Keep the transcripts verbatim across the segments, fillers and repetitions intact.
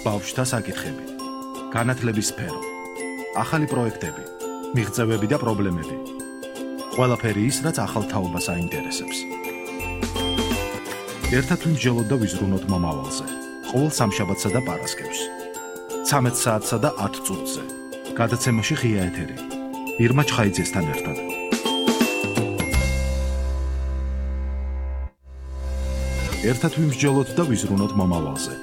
ბავშვთა საკითხები, განათლების სფერო, ახალი პროექტები, მიღწევები და პრობლემები. ყველაფერი ის, რაც ახალ თაობას აინტერესებს. ერთად ვიმსჯელოთ და ვიზრუნოთ მომავალზე. ყოველ სამშაბათსა და პარასკევს. ცამეტ საათსა და ათ წუთზე. გადაცემაში ღია ეთერი. ირმა ჩხაიძესთან ერთად. ერთად ვიმსჯელოთ და ვიზრუნოთ მომავალზე.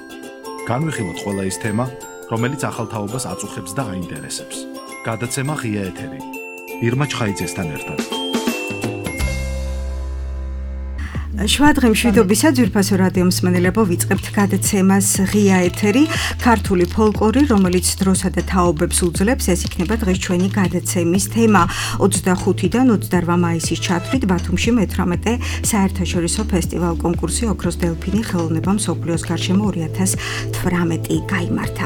განვიხილოთ ყველა ის თემა, რომელიც ახალ თაობას აწუხებს და აინტერესებს. გადაცემა ღია ეთერი. ირმა ჩხაიძესთან ერთად. შვადღე მშვიდობისა ძვირფასო რადიო მსმენელებო, ვიწყებთ გადაცემას ღია ეთერი, ქართული ფოლკლორი, რომელიც დროსა და თაობებს უძლებს. ეს იქნება დღეს ჩვენი გადაცემის თემა. ოცდახუთიდან ოცდაორვა მაისის ჩათვლით ბათუმში მეთვრამეტე საერთაშორისო ფესტივალ კონკურსი ოქროს დელფინი ხელოვნება მსოფლიოს გარშემო ორი ათას თვრამეტი გაიმართა.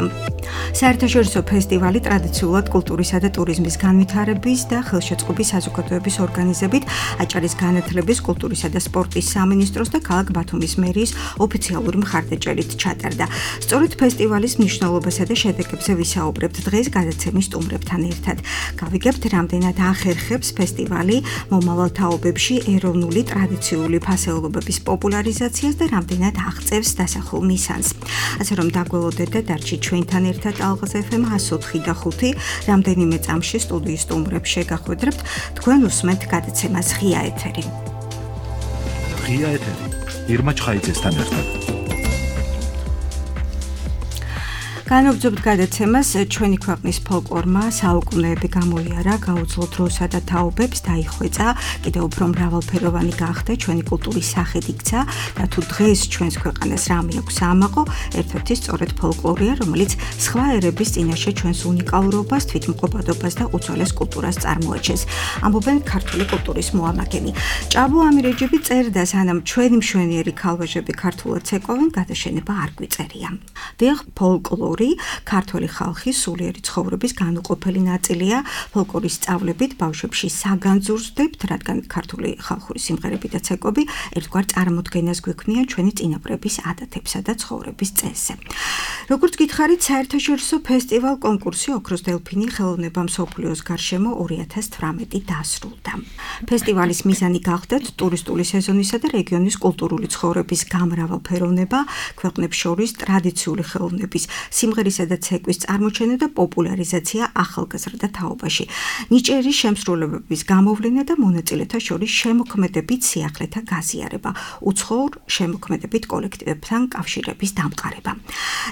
საერთაშორისო ფესტივალი ტრადიციულად კულტურისა და ტურიზმის განვითარების და ხელშეწყობის საზოგადოების ორგანიზებით აჭარის განათლების, კულტურისა და სპორტის სამინისტროს და ქალაქ ბათუმის მერიის ოფიციალური მხარდაჭერით ჩატარდა. სწორედ ფესტივალის მნიშვნელობასა და შედეგებზე ვისაუბრებთ დღეს გადაცემის სტუმრებთან ერთად. გავიგებთ, რამდენად ახერხებს ფესტივალი მომავალ თაობებში ეროვნული ტრადიციული ფასეულობების პოპულარიზაციას და რამდენად აღწევს დასახულ მისანს. ასე რომ დაგველოდეთ და დარჩით ჩვენთან ერთად ალღაზ ეფ ემ ას ოთხი და ხუთი. რამდენიმე წამში სტუდიის სტუმრებს შეგახვედრებთ, თქვენ უსმენთ გადაცემას ღია ეთერი. ღია ეთერი. ირმა ჩხაიძესთან ერთად. განვაგრძობთ გადაცემას. ჩვენი ქვეყნის ფოლკლორმა საუკუნეები გამოიარა, გაუძლო დროსა და თაობებს, დაიხვეწა, კიდევ უფრო მრავალფეროვანი გახდა, ჩვენი კულტურის სახედ იქცა და თუ დღეს ჩვენს ქვეყანას რამე აქვს ამაყო, ერთ-ერთი სწორედ ფოლკლორია, რომელიც სხვა ერების წინაშე ჩვენს უნიკალურობას, თვითმყოფადობას და უძველეს კულტურას წარმოაჩენს. ამბობენ ქართული კულტურის მოამაგენი. ჭაბო ამირეჯიბი წერდა, სანამ ჩვენი მშვენიერი ქალვეჟები ქართულად ცეკვავენ, გადაშენება არ გვიწერია. დიახ, ფოლკლორი ქართული ხალხის სულიერი ცხოვრების განუყოფელი ნაწილია. ფოლკლორის სწავლებით ბავშვებში საგანძურზდებთ, რადგან ქართული ხალხური სიმღერები და ცეკვები ერთგვარ წარმოდგენას გვექმნიან ჩვენი წინაპრების ადათებსა და ცხოვრების წესზე. როგორც გითხარით, საერთაშორისო ფესტივალ კონკურსი ოქროს დელფინი ხელოვნება მსოფლიოს გარშემო ორი ათას თვრამეტი დასრულდა. ფესტივალის მიზანი გახდათ ტურისტული სეზონისა და რეგიონის კულტურული ცხოვრების გამრავალფეროვნება, ქვეყნებს შორის ტრადიციული ხელოვნების სიმღერისა და ცეკვის წარმოჩენა და პოპულარიზაცია ახალგაზრდა თაობაში. ნიჭიერი შემსრულებების გამოვლენა და მონაწილეთა შორის შემოქმედებით სიახლეთა გაზიარება, უცხოურ შემოქმედებით კოლექტივებთან კავშირების დამყარება.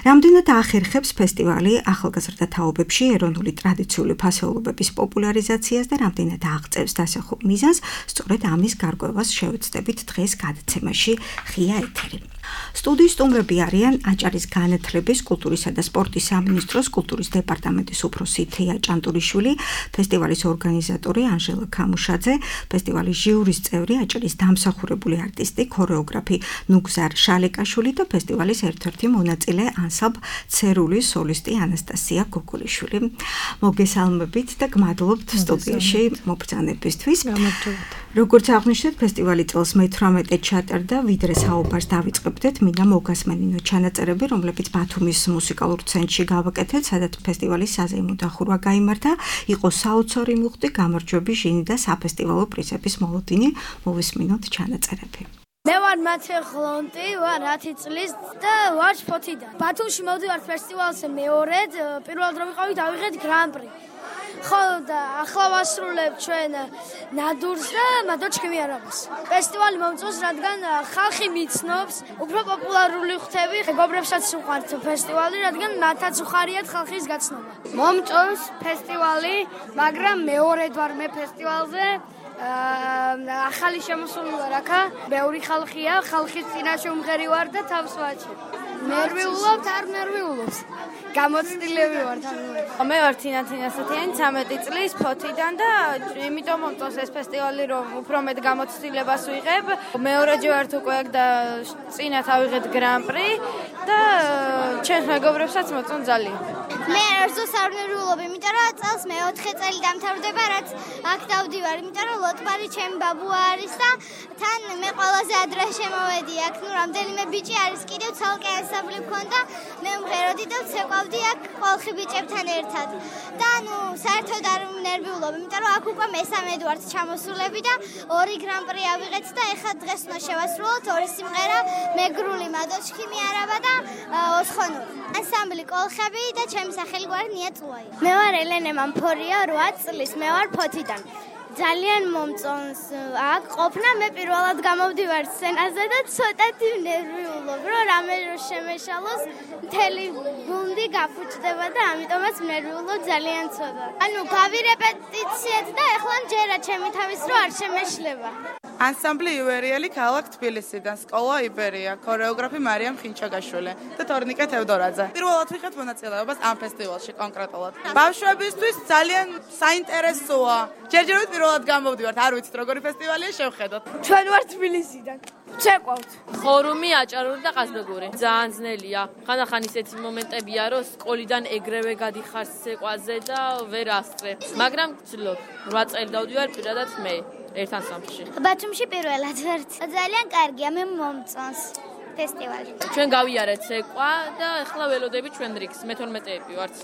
რამდენად ახერხებს ფესტივალი ახალგაზრდა თაობებში ეროვნული ტრადიციული ფასეულობების პოპულარიზაციას და რამდენად აღწევს დასახულ მიზანს, სწორედ ამის გარკვევას შევეცდებით დღეს გადაცემაში ღია ეთერი. სტუდიის სტუმრები არიან აჭარის განათლების, კულტურისა და სპორტის სამინისტროს კულტურის დეპარტამენტის უფროსი თეა ჭანტურიშვილი, ფესტივალის ორგანიზატორი ანჟელა ქამუშაძე, ფესტივალის ჟიურის წევრი აჭარის დამსახურებული არტისტი, ქორეოგრაფი ნუგზარ შალეკაშვილი და ფესტივალის ერთ-ერთი მონაწილე ანსამბლ ცერულის სოლისტი ანასტასია გოგოლიშვილი. მოგესალმებით და გმადლობთ სტუდიაში მობრძანებისთვის. როგორც აღნიშნეთ, ფესტივალი წელს მეთვრამეტე ჩატარდა, ვიდრე საუბარს დავიწყებდეთ, მინდა მოგასმენინო ჩანაწერები, რომლებიც ბათუმის მუსიკალურ ცენტრში გავაკეთეთ, სადაც ფესტივალის საზეიმო დახურვა გაიმართა, იყო საოცარი მუხტი, გამარჯვები, ჟინი და საფესტივალო პრიზების მოლოდინი. მოვისმინოთ ჩანაწერები. მე ვარ მათე ხლონტი, ვარ ათი წლის და ვარ შფოთიდან. ბათუმში მოვდივარ ფესტივალზე მეორედ, პირველად რომ ვიყავი დავიღეთ გრან-პრი. ხო და ახლა ვასრულებ ჩვენ ნადურს და მადლობა ჩემიანობას. ფესტივალი მომწონს, რადგან ხალხი მიცნობს, უფრო პოპულარული ხდები, მეგობრებსაც უყვართ ფესტივალი, რადგან მათაც უხარიათ ხალხის გაცნობა. მომწონს ფესტივალი, მაგრამ მეორედ ვარ მე ფესტივალზე. ახალი შემოსული ვარ აქა, ბევრი ხალხია, ხალხის წინაშე უმღერი ვარ და თავს ვაჩებ. ნერვიულობთ, არ ნერვიულობს. გამოცდილები ვარ თამაში. მე ვარ თინა თინასათიანი, ცამეტი წლის ფოთიდან და იმიტომ მომწონს ეს ფესტივალი, რომ უფრო მეტ გამოცდილებას ვიღებ. მეორეჯერ ვარ უკვე აქ და წინა ავიღეთ გრან-პრი და ჩემს მეგობრებსაც მოწონს ძალიან. მე არ ზუსტ არ ნერვიულობ, იმიტომ რომ წელს მეოთხე წელი დამთავრდება, რაც აქ დავდივარ, იმიტომ რომ ლოტბარი ჩემი ბაბუა არის და თან მე ყველაზე ადრე შემოვედი აქ, ნუ რამდენიმე ბიჭი არის კიდევ ცალკე ანსამბლი მქონდა, მე სიმღეროდი და ვცეკვავდი აქ ხალხი ბიჭებთან ერთად. და ნუ საერთოდ არ ვნერვიულობ, იმიტომ რომ აქ უკვე მესამედი ვართ ჩამოსულები და ორი გრან-პრი ავიღეთ და ეხლა დღეს უნდა შევასრულოთ ორი სიმღერა, მეგრული მადოჩქი მიარაბა და ოსხონური. ანსამბლი კოლხები და ჩემი სახელი გვარი ნია წუაი. მე ვარ ელენე მამფორია, რვა წლის, მე ვარ ფოთიდან. ძალიან მომწონს აქ ყოფნა, მე პირველად გამოვდივარ სცენაზე და ცოტათი ვნერვიულობ, რომ რამე რო შემეშალოს, მთელი გუნდი გაფუჭდება და ამიტომაც ვნერვიულობ ძალიან ცოტა. ანუ გავი რეპეტიციად და ეხლა ჯერა ჩემი თავის რო არ შემეშლება. ანსამბლი ივერიელი ქალაქ თბილისიდან, სკოლა იბერია, ქორეოგრაფი მარიამ ხინჩაგაშვილი და თორნიკე თევდორაძე. პირველად ვიღეთ მონაწილეობას ამ ფესტივალში კონკრეტულად. ბავშვებისთვის ძალიან საინტერესოა. ჯერჯერობით პირველად გამოვდივართ, არ ვიცით როგორი ფესტივალია, შევხედოთ. ჩვენ ვართ თბილისიდან. ვცეკვავთ. ხორუმი, აჭარული და ყაზბეგური. ძალიან ძნელია. ხანდახან ისეთი მომენტებია, რომ სკოლიდან ეგრევე გადიხარ ცეკვაზე და ვერ ასწრე. მაგრამ ვცდილობ. რვა წელი დავდივარ პირადად მე. ერთ ანსამბლში. ბათუმში პირველად ვართ. ძალიან კარგია, მე მომწონს ფესტივალი. ჩვენ გავიარეთ ცეკვა და ახლა ველოდები ჩვენ რიგს, მე თორმეტეები ვართ.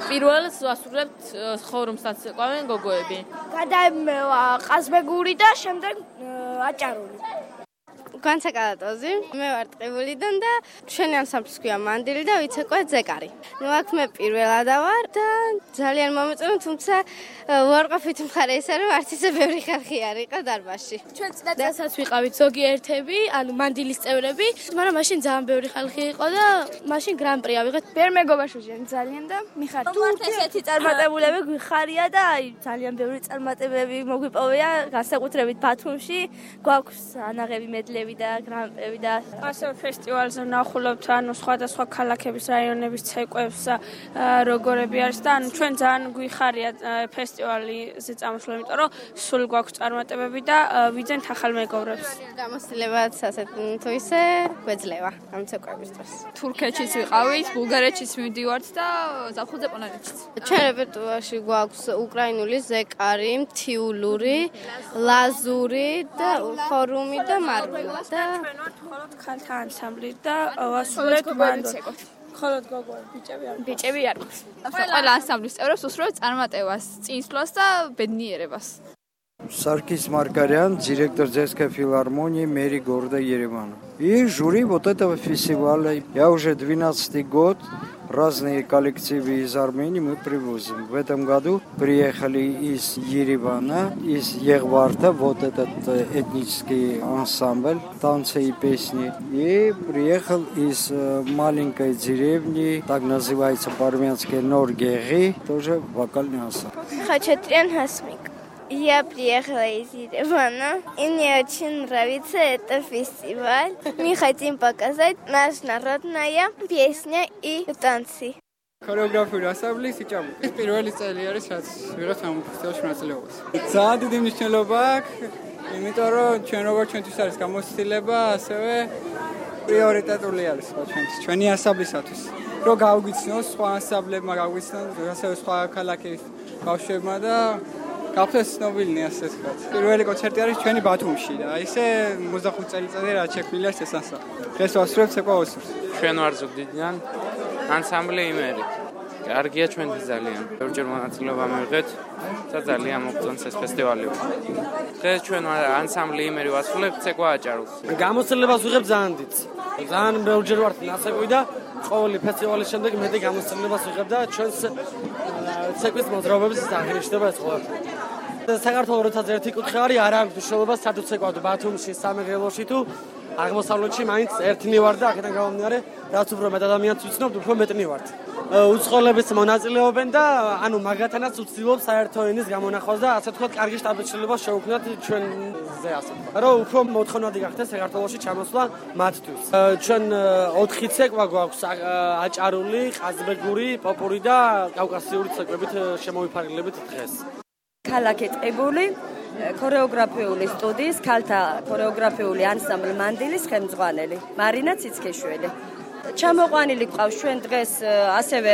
პირველს ვასრულებთ ხორუმსაც ცეკვავენ გოგოები. გადაემევა ყაზბეგური და შემდეგ აჭარული. განსაკალატოზი, მე ვარ ტყიბულიდან და ჩვენი ანსამბლის ქვია მანდილი და ვიცეკვე ზეკარი. ნუ აქ მე პირველად ვარ და ძალიან მომეწონა, თუმცა ვარყოფით მხარე ისე რომ არც ისე ბევრი ხალხი არ იყო დარბაზში. ჩვენ წინასწარ ვიყავით ზოგიერთები, ანუ მანდილის წევრები, მაგრამ მაშინ ძალიან ბევრი ხალხი იყო და მაშინ გრან-პრი ავიღეთ. ვერ მეგობარშვენ ძალიან და მიხარ. თუ ესეთი წარმატებულები გვიხარია და აი ძალიან ბევრი წარმატებები მოგვიპოვია, განსაკუთრებით ბათუმში, გვაქვს ანაღები მედლები და გრან-პრები და ასევე ფესტივალზე ვნახულობთ ანუ სხვადასხვა ქალაქების რაიონების ცეკვებს როგორები არის და ანუ ჩვენ ძალიან გვიხარია ფესტივალზე წამოსვლა, იმიტომ რომ სულ გვაქვს წარმატებები და ვიძენთ ახალ მეგობრებს. გამოცდილებაც ასეთ თუ ისე გვეძლევა ამ ცეკვების დროს. თურქეთშიც ვიყავით, ბულგარეთშიც მივდივართ და ზაფხულზე პოლონეთშიც. ჩვენ რეპერტუარში გვაქვს უკრაინული, ზეკარი, მთიულური, ლაზური და ხორუმი და მარვილი. და ჩვენ ვართ მხოლოდ ქალთა ანსამბლი და ვასრულებთ მანდოთ. მხოლოდ გოგოები, ბიჭები არ. ბიჭები არ გვაქვს. ყველა ანსამბლის წევრებს უსურვებთ წარმატებას, წინსვლას და ბედნიერებას. Саркис Маргарян, директор Детской филармонии Мэри города Еревана. И жюри вот этого фестиваля. Я уже двенадцатый год разные коллективы из Армении мы привозим. В этом году приехали из Еревана, из Егварта, вот этот этнический ансамбль, танцы и песни. И приехал из маленькой деревни, так называется по-армянски Норгери, тоже вокальный ансамбль. Хачатрян Хасмик. Я приехала из Еревана, и мне очень нравится этот фестиваль. Мы хотим показать наша народная песня и танцы. ქორეოგრაფიული ანსამბლი სიჭამუკი. ეს პირველი წელი არის, რაც ვიღებ ამ ფესტივალში მონაწილეობას. ძალიან დიდი მნიშვნელობა აქვს, იმიტომ რომ ჩვენ როგორც ჩვენთვის არის გამოცდილება, ასევე პრიორიტეტული არის ჩვენთვის, ჩვენი ანსამბლისათვის. რომ გავგვიცნოს სხვა ანსამბლებმა, გავგვიცნოს ასევე სხვა ქალაქის ბავშვებმა და გახდეს ცნობილნი ასე ვთქვათ. პირველი კონცერტი არის ჩვენი ბათუმში და ისე ოცდახუთი წელიწადი რაც შექმნილი არის ეს ანსამბლი. დღეს ვასრულებთ ცეკვა ოსურს. ჩვენ ვარ ზუგდიდიდან ანსამბლი იმერი. კარგია ჩვენთვის ძალიან. ბევრჯერ მონაწილეობა მივიღეთ და ძალიან მოგწონს ეს ფესტივალი. დღეს ჩვენ ანსამბლი იმერი ვასრულებთ ცეკვა აჭარულს. გამოცდილებას ვიღებ ძალიან დიდს. ძალიან ბევრჯერ ვარ ნასაკვი და ყოველი ფესტივალის შემდეგ მეტი გამოცდილებას ვიღებ და ჩვენს ცეკვის მოძრაობებს აღნიშნება ეს ყველაფერი. საქართველოს როცა ერთი კუთხე არის, არ აქვს მნიშვნელობა სად უცეკვავთ ბათუმში, სამეგრელოში თუ აღმოსავლეთში, მაინც ერთნი ვარ და აქედან გამომდინარე, რაც უფრო მეტ ადამიანს ვიცნობთ, უფრო მეტნი ვართ. უცხოელებიც მონაწილეობენ და ანუ მაგათანაც ვცდილობ საერთო ენის გამონახვას და ასე ვთქვათ, კარგი შტაბ-შეცვლილებას შევქმნათ ჩვენზე ასე ვთქვათ. რომ უფრო მოთხოვნადი გახდეს საქართველოში ჩამოსვლა მათთვის. ჩვენ ოთხი ცეკვა გვაქვს აჭარული, ყაზბეგური, პოპური და კავკასიური ცეკვებით შემოვიფარგლებით დღეს. ქალაქი ტყიბული, ქორეოგრაფიული სტუდიის ქალთა ქორეოგრაფიული ანსამბლი მანდილის ხელმძღვანელი, მარინა ციცქეშვილი. ჩამოყვანილი გვყავს ჩვენ დღეს ასევე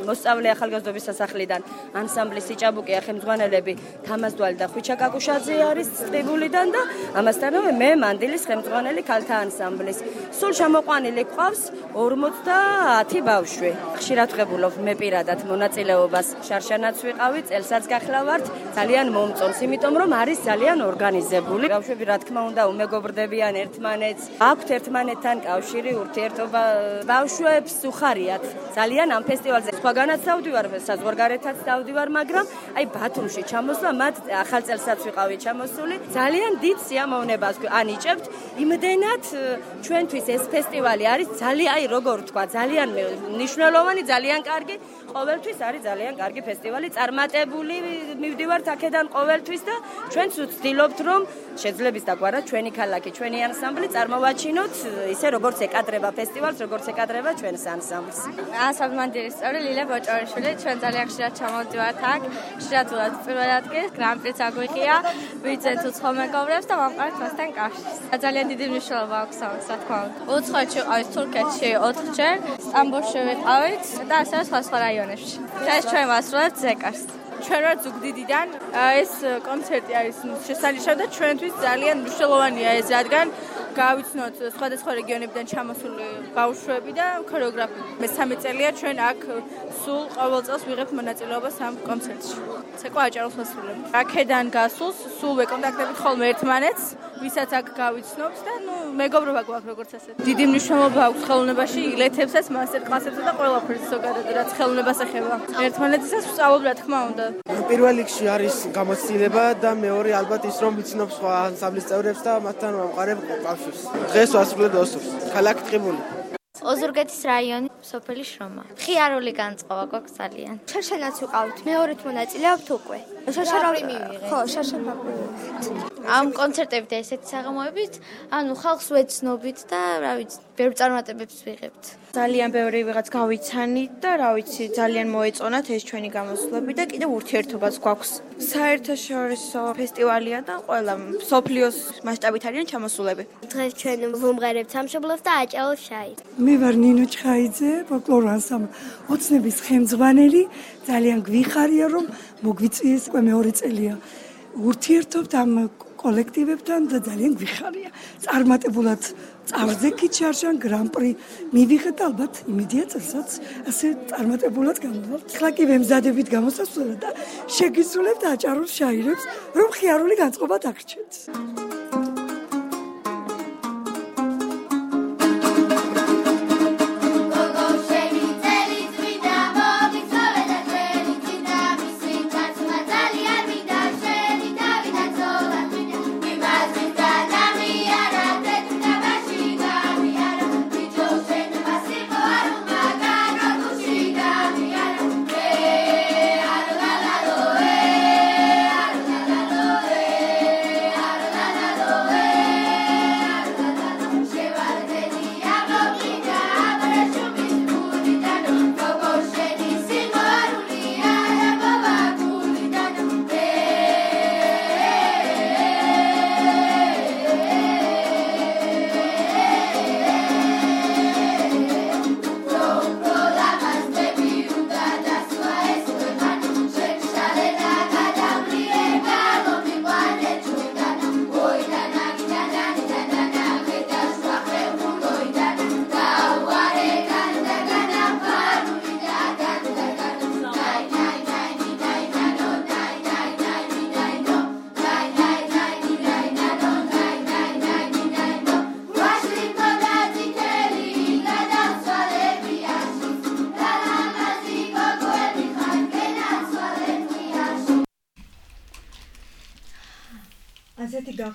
მოსწავლე ახალგაზრდობის სასახლიდან ანსამბლი სიჭაბუკი ხელმძღვანელები თამაზდვალი და ხვიჩა კაკუშაძე არის ტყიბულიდან და ამასთანავე მე მანდილის ხელმძღვანელი ქალთა ანსამბლის. სულ ჩამოყვანილი გვყავს ორმოცდაათი ბავშვი. ხშირად ვღებულობ მე პირადად მონაწილეობას. შარშანაც ვიყავი, წელსაც გახლავართ, ძალიან მომწონს, იმიტომ რომ არის ძალიან ორგანიზებული. ბავშვები რა თქმა უნდა უმეგობრდებიან ერთმანეთს, აქვთ ერთმანეთთან კავშირი, ურთიერთობა. ბავშვებს უხარიათ ძალიან ამ ფესტივალზე. სხვაგანაც დავდივარ, საზღვარგარეთაც დავდივარ, მაგრამ აი ბათუმში ჩამოსვლა, მათ ახალ წელსაც ვიყავი ჩამოსული, ძალიან დიდ სიამოვნებას ანიჭებთ. იმდენად ჩვენთვის ეს ფესტივალი არის ძალიან, აი როგორ ვთქვა, ძალიან მნიშვნელოვანი, ძალიან კარგი. ყოველთვის არის ძალიან კარგი ფესტივალი, წარმატებული მივდივართ აქედან ყოველთვის და ჩვენც ვცდილობთ რომ შეძლებს დაგვარა ჩვენი ქალაქი, ჩვენი ანსამბლი წარმოვაჩინოთ ისე როგორც ეკადრება ფესტივალს, როგორც ეკადრება ჩვენს ანსამბლს. ანსამბლ მანდილის წევრი ლილა ბოჭორიშვილი, ჩვენ ძალიან ხშირად ჩამოვდივართ აქ, ხშირად ვუყავთ პირველ ადგილს, გრან-პრიც აგვიყია, ვიძენთ უცხო მეგობრებს და ვამყარეთ მასთან კავშირს. ძალიან დიდი მნიშვნელობა აქვს ამას, რა თქმა უნდა. უცხოეთში ვიყავით თურქეთში ოთხჯერ, სტამბოლში ვიყავით და ასევე სხვა სხვა რაიონებში. ეს ჩვენ ვასრულებთ ზეკარს. ჩვენ ვართ ზუგდიდიდან. ეს კონცერტი არის შესანიშნავი და ჩვენთვის ძალიან მნიშვნელოვანია ეს, რადგან გავიცნოთ სხვადასხვა რეგიონებიდან ჩამოსული ბავშვები და ქორეოგრაფები. მესამე წელია ჩვენ აქ სულ ყოველ წელს ვიღებთ მონაწილეობას ამ კონცერტში. ცეკვა აჭაროს ვასრულებთ. აქედან გასულს სულ ვეკონტაქტებით ხოლმე ერთმანეთს, ვისაც აქ გავიცნობთ და ნუ მეგობრობა გვაქვს როგორც ასეთ. დიდი მნიშვნელობა აქვს ხელოვნებაში, ილეთებსაც, მასტერ-კლასებსა და ყველაფერს ზოგადად, რაც ხელოვნებას ეხება. ერთმანეთისას ვსწავლობ რა თქმა უნდა. პირველ რიგში არის გამოცდილება და მეორე ალბათ ის რომ ვიცნობ სხვა ანსამბლის წევრებს და მათთან ვამყარებ კავშირს. დღეს ვასრულებ ოსურს. ქალაქი ტყიბული. ოზურგეთის რაიონი, სოფელი შრომა. ხიარული განწყობა გვაქვს ძალიან. შარშანაც ვიყავთ, მეორედ მონაწილეობთ უკვე. შარშანავი მივიღეთ. ხო, შარშანავი. ამ კონცერტებით ესეთი საღამოებით, ანუ ხალხს ვეცნობით და რა ვიცი, ბევრ წარმატებებს ვიღებთ. ძალიან ბევრი ვიღაც გავიცანით და რა ვიცი, ძალიან მოეწონათ ეს ჩვენი გამოსვლები და კიდევ ურთიერთობაც გვაქვს. საერთაშორისო ფესტივალია და ყველა სოფლიოს მასშტაბით არიან ჩამოსულები. დღეს ჩვენ ვუმღერებთ სამშობლოს და აჭაროს შაი. მე ვარ ნინო ჩხაიძე, ფოლკლორ ანსამბლ ოცნების ხელმძღვანელი. ძალიან გვიხარია რომ მოგვიწვიეს უკვე მეორე წელია. ურთიერთობთ ამ კოლექტივებთან და ძალიან გვიხარია. წარმატებულად წარდგეთ შარშან გრან-პრი მივიღეთ და ალბათ იმედია წელსაც ასე წარმატებულად გამოვალთ. ხლა კი ვემზადებით გამოსასვლელად და შეგისრულებთ აჭაროს შაირებს, რომ ხიარული განწყობა დაგრჩეთ.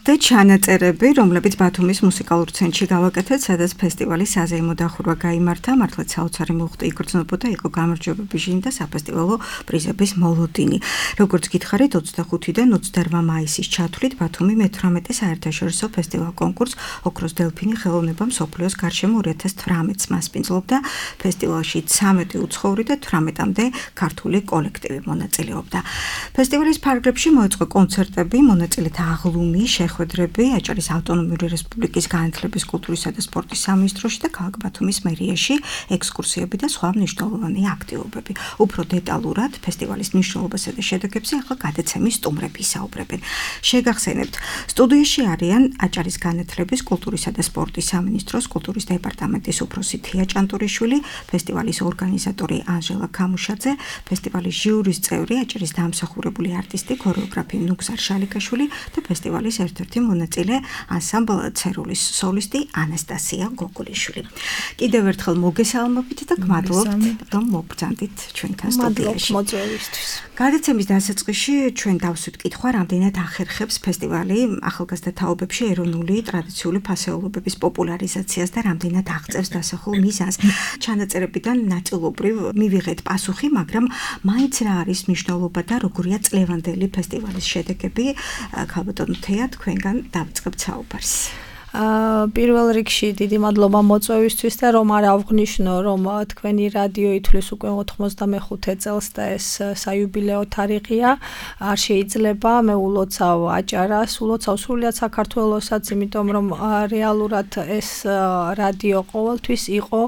და ჩანაწერები, რომლებიც ბათუმის მუსიკალურ ცენტრში გავაკეთეთ, სადაც ფესტივალის საზეიმო დახურვა გაიმართა, მართლაც საოცარი მოხდა, იგრძნობოდა, იყო გამარჯვებების ჟინი და საფესტივალო პრიზების მოლოდინი. როგორც გითხარით, ოცდახუთიდან ოცდაორმა მაისის ჩათვლით ბათუმი მეთვრამეტე საერთაშორისო ფესტივალ კონკურს ოქროს დელფინი ხელოვნება მსოფლიოს გარშემო ორი ათას თვრამეტს მასპინძლობდა. ფესტივალში ცამეტი უცხოური და თვრამეტამდე ქართული კოლექტივი მონაწილეობდა. ფესტივალის ფარგლებში მოეწყო კონცერტები, მონაწილეთა აღლუმი პირველი შეხვედრები აჭარის ავტონომიური რესპუბლიკის განათლების, კულტურისა და სპორტის სამინისტროში და ქალაქ ბათუმის მერიაში ექსკურსიები და სხვა მნიშვნელოვანი აქტივობები. უფრო დეტალურად ფესტივალის მნიშვნელობასა და შედეგებზე ახლა გადაცემის სტუმრები ისაუბრებენ. შეგახსენებთ, სტუდიაში არიან აჭარის განათლების, კულტურისა და სპორტის სამინისტროს კულტურის დეპარტამენტის უფროსი თია ჭანტურიშვილი, ფესტივალის ორგანიზატორი ანჟელა ქამუშაძე, ფესტივალის ჟიურის წევრი აჭარის დამსახურებული არტისტი, ქორეოგრაფი ნუგზარ შალიკაშვილი და ფესტივალის ერთ-ერთი მონაწილე ანსამბლ ცერულის სოლისტი ანასტასია გოგოლიშვილი. კიდევ ერთხელ მოგესალმებით და გმადლობთ, რომ მოგბრძანდით ჩვენთან სტუდიაში. მოწვევისთვის. გადაცემის დასაწყისში ჩვენ დავსვით კითხვა, რამდენად ახერხებს ფესტივალი ახალგაზრდა თაობებში ეროვნული ტრადიციული ფასეულობების პოპულარიზაციას და რამდენად აღწევს დასახულ მიზანს. ჩანაწერებიდან ნაწილობრივ მივიღეთ პასუხი, მაგრამ მაინც რა არის მნიშვნელობა და როგორია წლევანდელი ფესტივალის შედეგები? ქალბატონო თეა, თქვენგან დავიწყებთ საუბარს. პირველ რიგში დიდი მადლობა მოწვევისთვის და რომ არ ავღნიშნო, რომ თქვენი რადიო ითვლის უკვე ოთხმოცდამეხუთე წელს და ეს საიუბილეო თარიღია. არ შეიძლება მე ულოცავ აჭარას, ულოცავ სრულიად საქართველოსაც, იმიტომ რომ რეალურად ეს რადიო ყოველთვის იყო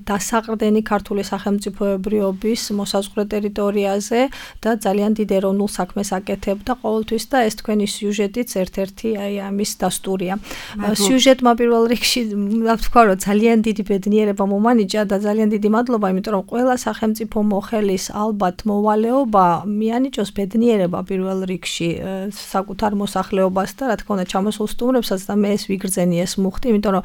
დასაყრდენი ქართული სახელმწიფოებრიობის მოსაზღვრე ტერიტორიაზე და ძალიან დიდ ეროვნულ საქმეს აკეთებდა ყოველთვის და ეს თქვენი სიუჟეტიც ერთ-ერთი აი ამის დასტურია. სიუჟეტმა პირველ რიგში ვთქვა, რომ ძალიან დიდი ბედნიერება მომანიჭა და ძალიან დიდი მადლობა, იმიტომ რომ ყველა სახელმწიფო მოხელის ალბათ მოვალეობა მიანიჭოს ბედნიერება პირველ რიგში საკუთარ მოსახლეობას და რა თქმა უნდა ჩამოსულ სტუმრებსაც და მე ეს ვიგრძენი ეს მუხტი, იმიტომ რომ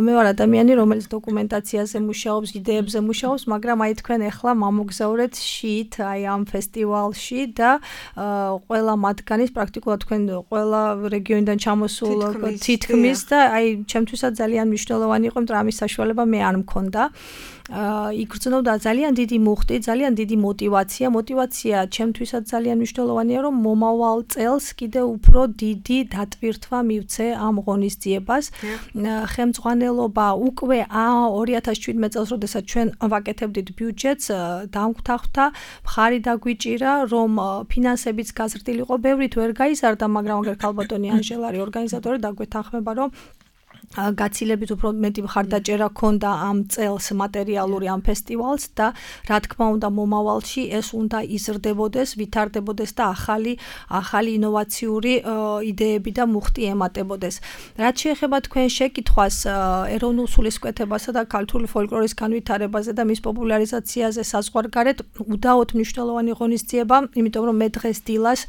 მე ვარ ადამიანი, რომელიც დოკუმენტაციაზე მუშაობს, იდეებზე მუშაობს, მაგრამ აი თქვენ ახლა მომგზავრეთ შიით აი ამ ფესტივალში და ყველა მათგანის პრაქტიკულად თქვენ ყველა რეგიონიდან ჩამოსულ თითქმის და აი ჩემთვისაც ძალიან მნიშვნელოვანი იყო, იმიტომ რომ ამის საშუალება მე არ მქონდა. იგრძნობდა ძალიან დიდი მუხტი, ძალიან დიდი мотиваცია. мотиваცია ჩემთვისაც ძალიან მნიშვნელოვანია, რომ მომავალ წელს კიდევ უფრო დიდი დატვირთვა მივცე ამ ღონისძიებას. ხელმძღვანელობა უკვე ორი ათას შვიდმეტ წელს, როდესაც ჩვენ ვაკეთებდით ბიუჯეტს, დამგვთახვდა, მხარი დაგვიჭირა, რომ ფინანსებიც გაზრდილიყო, ბევრით ვერ გაიზარდა, მაგრამ აგერ ქალბატონი ანჟელა არის ორგანიზატორი და გვეთანხმება, რომ გაცილებით უფრო მეტი მხარდაჭერა ქონდა ამ წელს მატერიალური ამ ფესტივალს და რა თქმა უნდა მომავალში ეს უნდა იზრდებოდეს, ვითარდებოდეს და ახალი ახალი ინოვაციური იდეები და მუხტი ემატებოდეს. რაც შეეხება თქვენ შეკითხვას ეროვნულ სულისკვეთებასა და ქართული ფოლკლორის განვითარებაზე და მის პოპულარიზაციაზე საზღვარგარეთ, უდაოდ მნიშვნელოვანი ღონისძიება, იმიტომ რომ მე დღეს დილას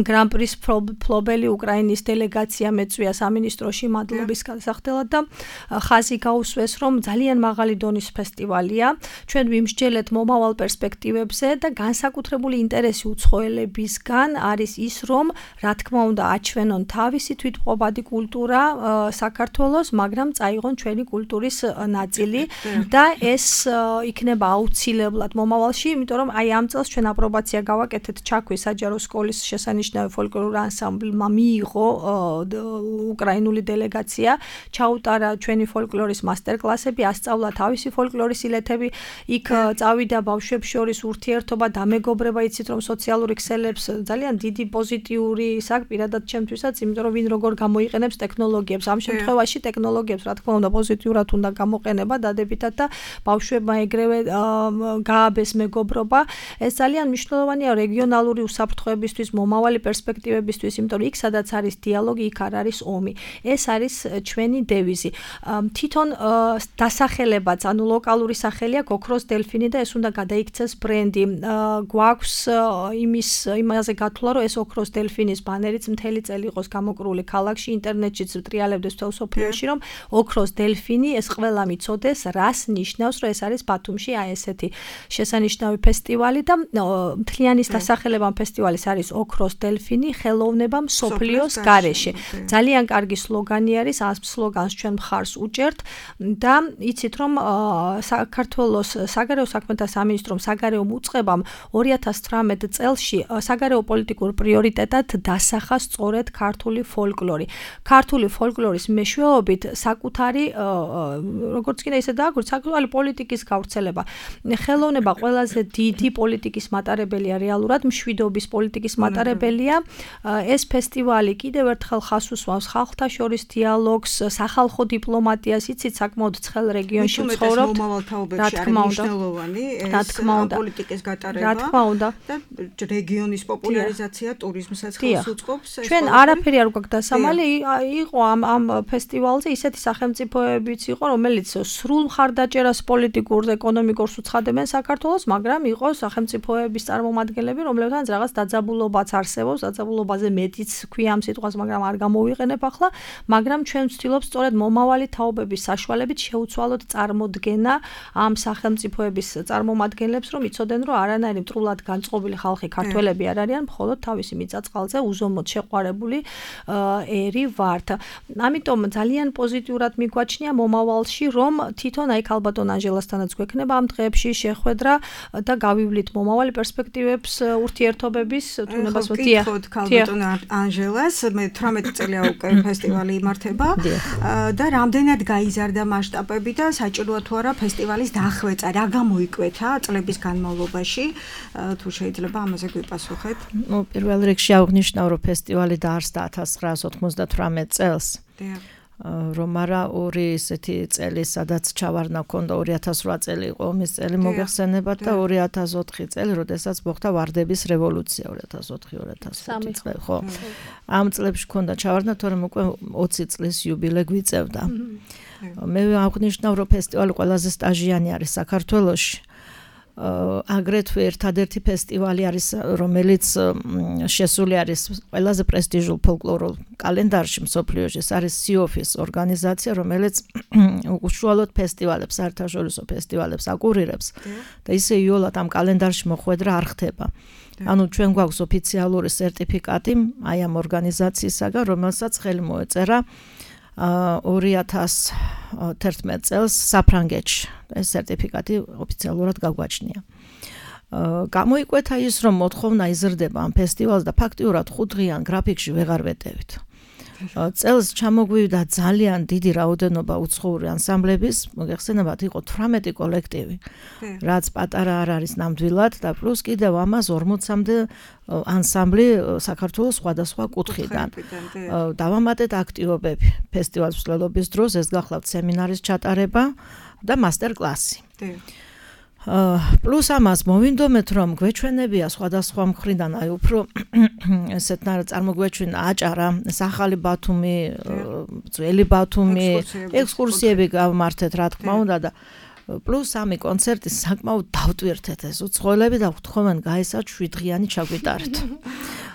გრან-პრის ფლობელი უკრაინის დელეგაცია მეწვია სამინისტროში მადლობის განსახდელად და ხაზი გაუსვეს, რომ ძალიან მაღალი დონის ფესტივალია. ჩვენ ვიმსჯელეთ მომავალ პერსპექტივებზე და განსაკუთრებული ინტერესი უცხოელებისგან არის ის, რომ რა თქმა უნდა აჩვენონ თავისი თვითმყოფადი კულტურა საქართველოს, მაგრამ წაიღონ ჩვენი კულტურის ნაწილი და ეს იქნება აუცილებლად მომავალში, იმიტომ რომ აი ამ წელს ჩვენ აპრობაცია გავაკეთეთ ჩაქვის საჯარო სკოლის შესანიშნავი ფოლკლორული ანსამბლმა მიიღო უკრაინული დელეგაცია, ჩაუტარა ჩვენი ფოლკლორის მასტერკლასები, ასწავლა თავისი ფოლკლორის ილეთები, იქ წავიდა ბავშვებს შორის ურთიერთობა, დამეგობრება, იცით რომ სოციალური ქსელებს ძალიან დიდი პოზიტიური საკ პირადად ჩემთვისაც, იმიტომ რომ ვინ როგორ გამოიყენებს ტექნოლოგიებს. ამ შემთხვევაში ტექნოლოგიებს რა თქმა უნდა პოზიტიურად უნდა გამოყენება დადებითად და ბავშვებმა ეგრევე გააბეს მეგობრობა. ეს ძალიან მნიშვნელოვანია რეგიონალური უსაფრთხოებისთვის, მომავალი პერსპექტივებისთვის, იმიტომ რომ იქ სადაც არის დიალოგი, იქ არ არის ომი. ეს არის ჩვენი დევიზი. თვითონ დასახელებაც, ანუ ლოკალური სახელია ოქროს დელფინი და ეს უნდა გადაიქცეს ბრენდი. გვაქვს იმის იმაზე გათვლა, რომ ეს ოქროს დელფინის ბანერიც მთელი წელი იყოს გამოკრული ქალაქში, ინტერნეტშიც ტრიალებდეს თელ სოფლიოში, რომ ოქროს დელფინი ეს ყველა მიცოდეს, რას ნიშნავს, რომ ეს არის ბათუმში აი ესეთი შესანიშნავი ფესტივალი და მთლიანის დასახელება ფესტივალის არის ოქროს დელფინი, ხელოვნება მსოფლიოს გარეშე. ძალიან კარგი სლოგანი მნიშვნელოვანი არის ამ სლოგანს ჩვენ მხარს უჭერთ და იცით რომ საქართველოს საგარეო საქმეთა სამინისტრომ საგარეო უწყებამ ორი ათას თვრამეტ წელში საგარეო პოლიტიკურ პრიორიტეტად დასახა სწორედ ქართული ფოლკლორი. ქართული ფოლკლორის მეშვეობით საკუთარი როგორც კიდე ისე დააგვირთ საკუთარი პოლიტიკის გავრცელება. ხელოვნება ყველაზე დიდი პოლიტიკის მატარებელია რეალურად მშვიდობის პოლიტიკის მატარებელია. ეს ფესტივალი კიდევ ერთხელ ხას უსვამს ხალხთა შორის დიალოგს, სახალხო დიპლომატიას, იცით საკმაოდ ცხელ რეგიონში ვცხოვრობთ. რა თქმა უნდა, რა თქმა უნდა, პოლიტიკის გატარება. რა თქმა უნდა. და რეგიონის პოპულარიზაცია ტურიზმსაც ხელს უწყობს. ჩვენ არაფერი არ გვაქვს დასამალი, იყო ამ ამ ფესტივალზე ისეთი სახელმწიფოებიც იყო, რომელიც სრულ მხარდაჭერას პოლიტიკურ, ეკონომიკურს უცხადებენ საქართველოს, მაგრამ იყო სახელმწიფოების წარმომადგენლები, რომლებთანაც რაღაც დაძაბულობაც არსებობს, დაძაბულობაზე მეტიც ქვია ამ სიტყვას, მაგრამ არ გამოვიყენებ ახლა, მაგრამ ჩვენ ვცდილობთ სწორედ მომავალი თაობების საშუალებით შეუცვალოთ წარმოდგენა ამ სახელმწიფოების წარმომადგენლებს, რომ იცოდნენ, რომ არანაირი მტრულად განწყობილი ხალხი ქართველები არ არიან, მხოლოდ თავისი მიწა-წყალზე უზომოდ შეყვარებული ერი ვართ. ამიტომ ძალიან პოზიტიურად მიგვაჩნია მომავალში, რომ თვითონ აი ქალბატონ ანჟელასთანაც გვექნება ამ დღეებში შეხვედრა და გავივლით მომავალი პერსპექტივებს ურთიერთობების თუნებას ვთია. ქალბატონ ანჟელას მე თვრამეტი წელია უკვე ფესტივალი იმართება და რამდენად გაიზარდა მასშტაბები და საჭიროა თუ არა ფესტივალის დახვეწა, რა გამოიკვეთა წლების განმავლობაში, თუ შეიძლება ამაზე გვიპასუხეთ. ნუ პირველ რიგში აღნიშნავ, რომ ფესტივალი დაარსდა ათას ცხრაას ოცდათვრამეტ წელს. რომ არა ორი ესეთი წელი, სადაც ჩავარდნა ქონდა ორი ათას რვა წელი იყო ომის წელი მოგეხსენებათ და ორი ათას ოთხი წელი, როდესაც მოხდა ვარდების რევოლუცია ორი ათას ოთხი ორი ათას ხუთი წელი, ხო. ამ წლებში ქონდა ჩავარდნა, თორემ უკვე ოცი წლის იუბილე გვიწევდა. მე აღნიშნავ, რომ ფესტივალი ყველაზე სტაჟიანი არის საქართველოში. აგრეთვე ერთადერთი ფესტივალი არის, რომელიც შესული არის ყველაზე პრესტიჟულ ფოლკლორულ კალენდარში მსოფლიოში. ეს არის სიოფის ორგანიზაცია, რომელიც უშუალოდ ფესტივალებს, საერთაშორისო ფესტივალებს აკურირებს და ისე იოლად ამ კალენდარში მოხვედრა არ ხდება. ანუ ჩვენ გვაქვს ოფიციალური სერტიფიკატი აი ამ ორგანიზაციისაგან, რომელსაც ხელი მოეწერა ორი ათას თერთმეტ წელს საფრანგეთში. ეს სერტიფიკატი ოფიციალურად გაგვაჩნია. გამოიკვეთა ის, რომ მოთხოვნა იზრდება ამ ფესტივალს და ფაქტიურად ხუთდღიან გრაფიკში ვეღარ ვეტევით. წელს ჩამოგვივიდა ძალიან დიდი რაოდენობა უცხოური ანსამბლების, მოგეხსენებათ, იყო თვრამეტი კოლექტივი, რაც პატარა არ არის ნამდვილად და პლუს კიდევ ამას ორმოცამდე ანსამბლი საქართველოს სხვადასხვა კუთხიდან. დავამატეთ აქტივობები ფესტივალის მსვლელობის დროს, ეს გახლავთ სემინარის ჩატარება და მასტერ-კლასი. პლუს ამას მოვინდომეთ, რომ გვეჩვენებია სხვადასხვა მხრიდან, აი უფრო ესეთნაირად წარმოგვეჩვენა აჭარა, ახალი ბათუმი, ძველი ბათუმი, ექსკურსიები გავმართეთ, რა თქმა უნდა და პლუს ამი კონცერტი საკმაოდ დავტვირთეთ ეს უცხოელები და ვთხოვენ გაესად შვიდღიანი ჩაგვიტარეთ.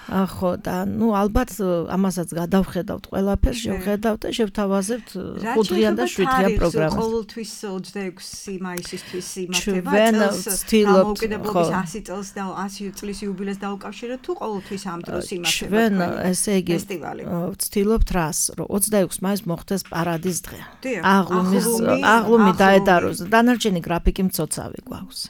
ხო და ნუ ალბათ ამასაც გადავხედავთ ყველაფერს, შევხედავთ და შევთავაზებთ ხუთდღიან და შვიდღიან პროგრამას. ყოველთვის ოცდაექვსი მაისისთვის იმართება წელს გამოკიდებულების ასი წელს და ასი წლის იუბილეს დაუკავშირეთ თუ ყოველთვის ამ დროს იმართება. ჩვენ ესე იგი ვცდილობთ რას, რომ ოცდაექვსი მაისს მოხდეს პარადის დღე. აღლუმის აღლუმი დაედაროს. დანარჩენი გრაფიკი მცოცავი გვაქვს.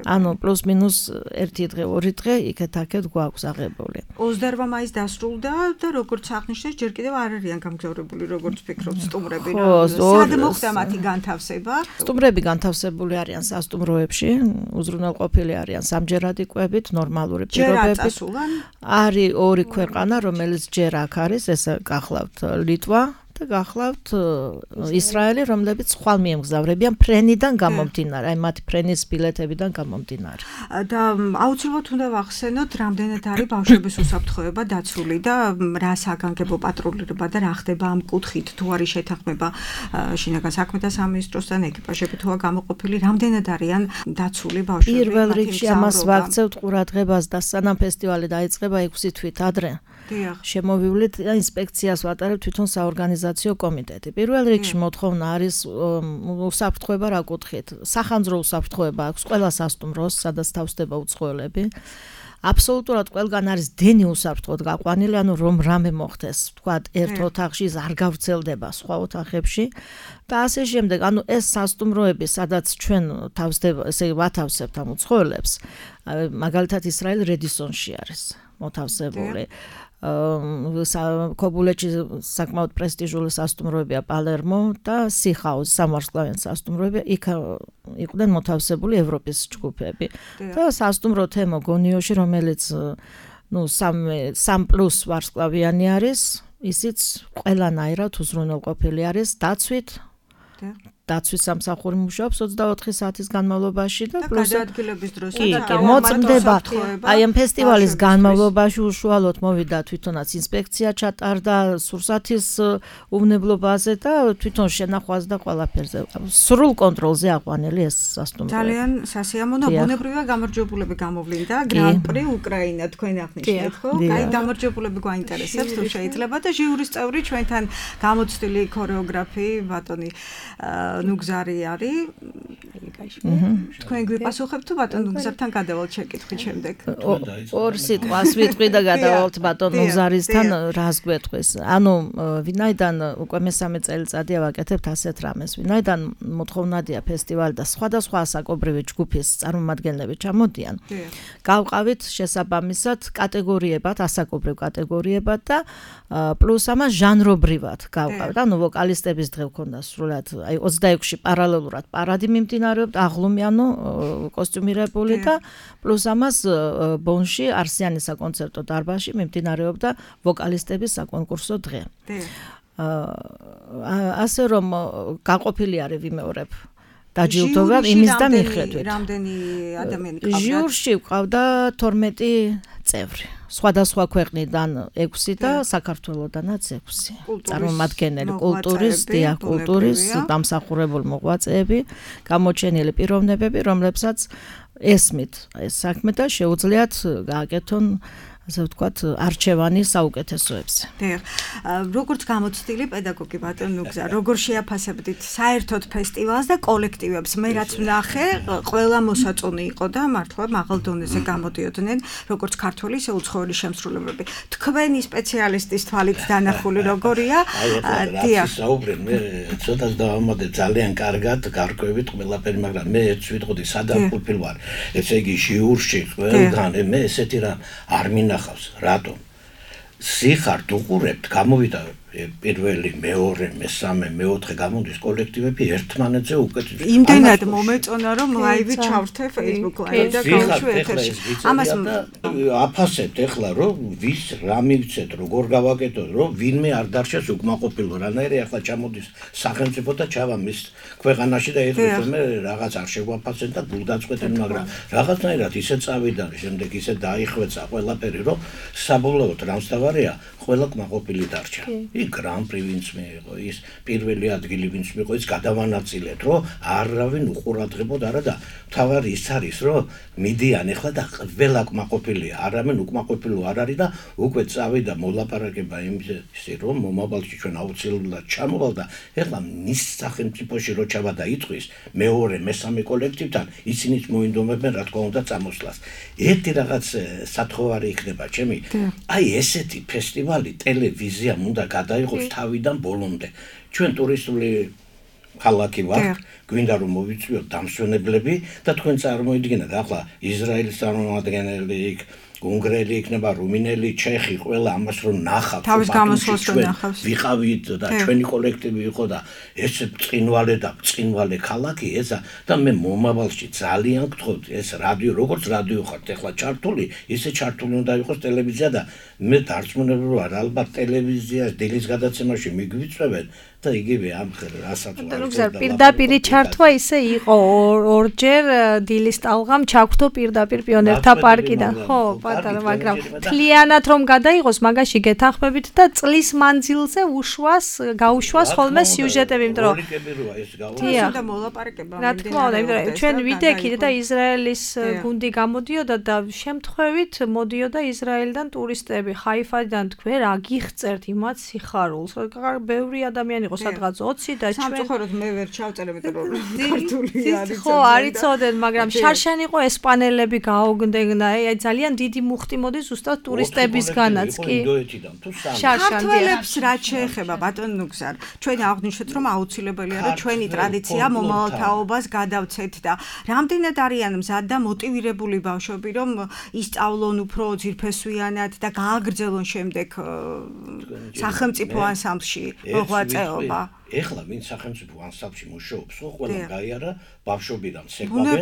ანუ პლუს მინუს ერთი დღე, ორი დღე იქეთ-აქეთ გვაქვს აღებული. ოცდაორ მაისს დასრულდა და როგორც აღნიშნეთ, ჯერ კიდევ არ არიან გამგზავრებული, როგორც ფიქრობთ, სტუმრები. სად მოხდა მათი განთავსება? სტუმრები განთავსებული არიან სასტუმროებში, უზრუნველყოფილი არიან სამჯერადი კვებით, ნორმალური პირობებით. არის ორი ქვეყანა, რომელიც ჯერ აქ არის, ეს გახლავთ ლიტვა და გახლავთ ისრაელი, რომლებიც ხვალ მიემგზავრებიან ფრენიდან გამომდინარე, აი მათი ფრენის ბილეთებიდან გამომდინარე. და აუცილებლად უნდა ვახსენოთ, რამდენად არის ბავშვების უსაფრთხოება დაცული და რა საგანგებო პატრულირება და რა ხდება ამ კუთხით, თუ არის შეთანხმება შინაგან საქმეთა სამინისტროსთან, ეკიპაჟები თუ არა გამოყოფილი, რამდენად არიან დაცული ბავშვები. პირველ რიგში ამას ვაქცევთ ყურადღებას და სანამ ფესტივალი დაიწყება ექვსი თვით ადრე შემოვივლით და ინსპექციას ვატარებ თვითონ საორგანიზაციო კომიტეტი. პირველ რიგში მოთხოვნა არის უსაფრთხოება რა კუთხით. სახანძრო უსაფრთხოება აქვს ყველა სასტუმროს, სადაც თავსდება უცხოელები. აბსოლუტურად ყველგან არის დენი უსაფრთხოდ გაყვანილი, ანუ რომ რამე მოხდეს, თქვათ, ერთ ოთახში არ გავრცელდება სხვა ოთახებში და ასე შემდეგ. ანუ ეს სასტუმროები, სადაც ჩვენ თავსდება, ესე ვათავსებთ ამ უცხოელებს, მაგალითად ისრაელ რედისონში არის მოთავსებული. ქობულეთში საკმაოდ პრესტიჟული სასტუმროებია პალერმო და სიხაუზი, სამარსკლავიანი სასტუმროები, იქ იყვნენ მოთავსებული ევროპის ჯგუფები. და სასტუმრო თემო გონიოში, რომელიც ნუ სამ პლუს ვარსკვლავიანი არის, ისიც ყველანაირად უზრუნველყოფილი არის დაცვით. დაცვის სამსახური მუშაობს ოცდაოთხი საათის განმავლობაში და პლუს გადაადგილების დროს კი, მოწმდება. აი ამ ფესტივალის განმავლობაში უშუალოდ მოვიდა თვითონაც ინსპექცია ჩატარდა სურსათის უვნებლობაზე და თვითონ შენახვას და ყველაფერზე. სრულ კონტროლზე აყვანილი ეს სასტუმრო. ძალიან სასიამოვნო, ბუნებრივია გამარჯვებულები გამოვლინდა გრან-პრი უკრაინა თქვენ აღნიშნეთ, ხო? აი გამარჯვებულები გვაინტერესებს თუ შეიძლება და ჟიურის წევრი ჩვენთან გამოცდილი ქორეოგრაფი ბატონი ნუგზარი არის. თქვენ გვიპასუხებთ თუ ბატონ ნუგზართან გადავალთ შეკითხვით შემდეგ. ორ სიტყვას ვიტყვი და გადავალთ ბატონ ნუგზარისთან რას გვეტყვის. ანუ ვინაიდან უკვე მესამე წელიწადია ვაკეთებთ ასეთ რამეს, ვინაიდან მოთხოვნადია ფესტივალი და სხვადასხვა ასაკობრივი ჯგუფის წარმომადგენლები ჩამოდიან. გავყავით შესაბამისად კატეგორიებად, ასაკობრივ კატეგორიებად და პლუს ამას ჟანრობრივად გავყავთ. ანუ ვოკალისტების დღე გქონდა სრულად აი ოცდაექვსში პარალელურად პარადი მიმდინარეობდა, აღლუმიანო კოსტიუმირებული და პლუს ამას ბონში არსიანის საკონცერტო დარბაზში მიმდინარეობდა ვოკალისტების საკონკურსო დღე. ასე რომ გაყოფილი არის ვიმეორებ დაჯილდოება იმის და მიხედვით. რამდენი ადამიანი ყავდა? ჟიურში ყავდა თორმეტი წევრი. სხვადასხვა ქვეყნიდან ექვსი და საქართველოდანაც ექვსი. წარმომადგენელი კულტურის, დიახ, კულტურის დამსახურებული მოღვაწეები, გამოჩენილი პიროვნებები, რომლებსაც ესმით ეს საქმე და შეუძლიათ გააკეთონ ასე ვთქვათ, არჩევანი საუკეთესოებზე. დიახ. როგორც გამოცდილი პედაგოგი ბატონ ნუგზა, როგორ შეაფასებდით საერთოდ ფესტივალს და კოლექტივებს? მე რაც ვნახე, ყველა მოსაწონი იყო და მართლა მაღალ დონეზე გამოდიოდნენ, როგორც ქართველი, ისე უცხოელი შემსრულებლები. თქვენი სპეციალისტის თვალით დანახული როგორია? დიახ. საუბრენ, მე ცოტა დავამატებ ძალიან კარგად, გარკვევით ყველაფერი, მაგრამ მე ერთს ვიტყოდი, სადამ ყოფილ ვარ. ესე იგი ჟიურში ყველგან მე ესეთი რამ არ მინა რატომ? სიხართ უყურებთ, გამოვიდა პირველი, მეორე, მესამე, მეოთხე გამოდის კოლექტივები ერთმანეთზე უკეთეს. იმდენად მომეწონა რომ ლაივი ჩავრთე Facebook ლაივი და გავშვე ეთერში. ამას აფასებთ ეხლა რომ ვის რა მივცეთ, როგორ გავაკეთოთ, რომ ვინმე არ დარჩეს უკმაყოფილო. რანაირი ახლა ჩამოდის სახელმწიფო და ჩავა მის ქვეყანაში და ეხლა მე რაღაც არ შეგვაფასეთ და გულდაწყვეტენ, მაგრამ რაღაცნაირად ისე წავიდა, შემდეგ ისე დაიხვეცა ყველაფერი, რომ საბოლოოდ რამსთავარია, ყველა კმაყოფილი დარჩა. გრან-პრი ვინც მიიღო, ის პირველი ადგილი ვინც მიიღო, ის გადავანაწილეთ, რომ არავინ უყურადღებოდ არა და თავარი ის არის, რომ მიდიან ახლა და ყველა კმაყოფილია, არავინ უკმაყოფილო არ არის და უკვე წავიდა მოლაპარაკება იმისი, რომ მომავალში ჩვენ აუცილებლად ჩამოვალ და ახლა მის სახელმწიფოში რო ჩავა და იტყვის მეორე, მესამე კოლექტივთან, ისინიც მოინდომებენ რა თქმა უნდა წამოსვლას. ერთი რაღაც სათხოვარი იქნება ჩემი. აი ესეთი ფესტივალი ტელევიზიამ უნდა გადაიღოს თავიდან ბოლომდე. ჩვენ ტურისტული ქალაქი ვართ, გვინდა რომ მოვიწვიოთ დამსვენებლები და თქვენ წარმოიდგინეთ ახლა ისრაელის წარმომადგენელი იქ უნგრელი იქნება, რუმინელი, ჩეხი, ყველა ამას რომ ნახავთ, თავის გამოსვლას რომ ნახავს. ვიყავით და ჩვენი კოლექტივი იყო და ეს წინვალე და წინვალე ქალაქი ესა და მე მომავალში ძალიან გთხოვთ ეს რადიო, როგორც რადიო ხართ ახლა ჩართული, ისე ჩართული უნდა იყოს ტელევიზია და მე დარწმუნებული ვარ, ალბათ ტელევიზიას დილის გადაცემაში მიგვიწევენ და იგივე ამ რასაც ვარ. პირდაპირ ჩართვა ისე იყო ორჯერ დილის ტალღამ ჩაგვთო პირდაპირ პიონერთა პარკიდან. ხო, პატარა, მაგრამ თლიანად რომ გადაიღოს, მაგაში გეთანხმებით და წლის მანძილზე უშვას, გაუშვას ხოლმე სიუჟეტები, იმიტომ რომ უნდა მოლაპარაკება. რა თქმა უნდა, იმიტომ რომ ჩვენ ვიდექით და ისრაელის გუნდი გამოდიოდა და შემთხვევით მოდიოდა ისრაელიდან ტურისტები. ხაიფიდან თქვენ რა გიხწერთ იმათ სიხარულს. ბევრი ადამიანი იყო სადღაც ოცი და ჩვენ სამწუხაროდ მე ვერ ჩავწერე მეტად რომ ქართული არის. ხო, არიცოდენ, მაგრამ შარშან იყო ესპანელები გაოგდნენ და აი ძალიან დიდი მუხტი მოდის ზუსტად ტურისტებისგანაც კი. ქართველებს რაც შეეხება ბატონ ნუგზარ, ჩვენ აღვნიშნეთ რომ აუცილებელია რომ ჩვენი ტრადიცია მომავალთაობას გადავცეთ და რამდენად არიან მზად და მოტივირებული ბავშვები რომ ისწავლონ უფრო ძირფესვიანად და გააგრძელონ შემდეგ სახელმწიფო ანსამბლში მოღვაწეობა. ეხლა ვინ სახელმწიფო ანსამბლში მუშაობს, ხო, ყველა გაიარა ბავშვობიდან ცეკვავენ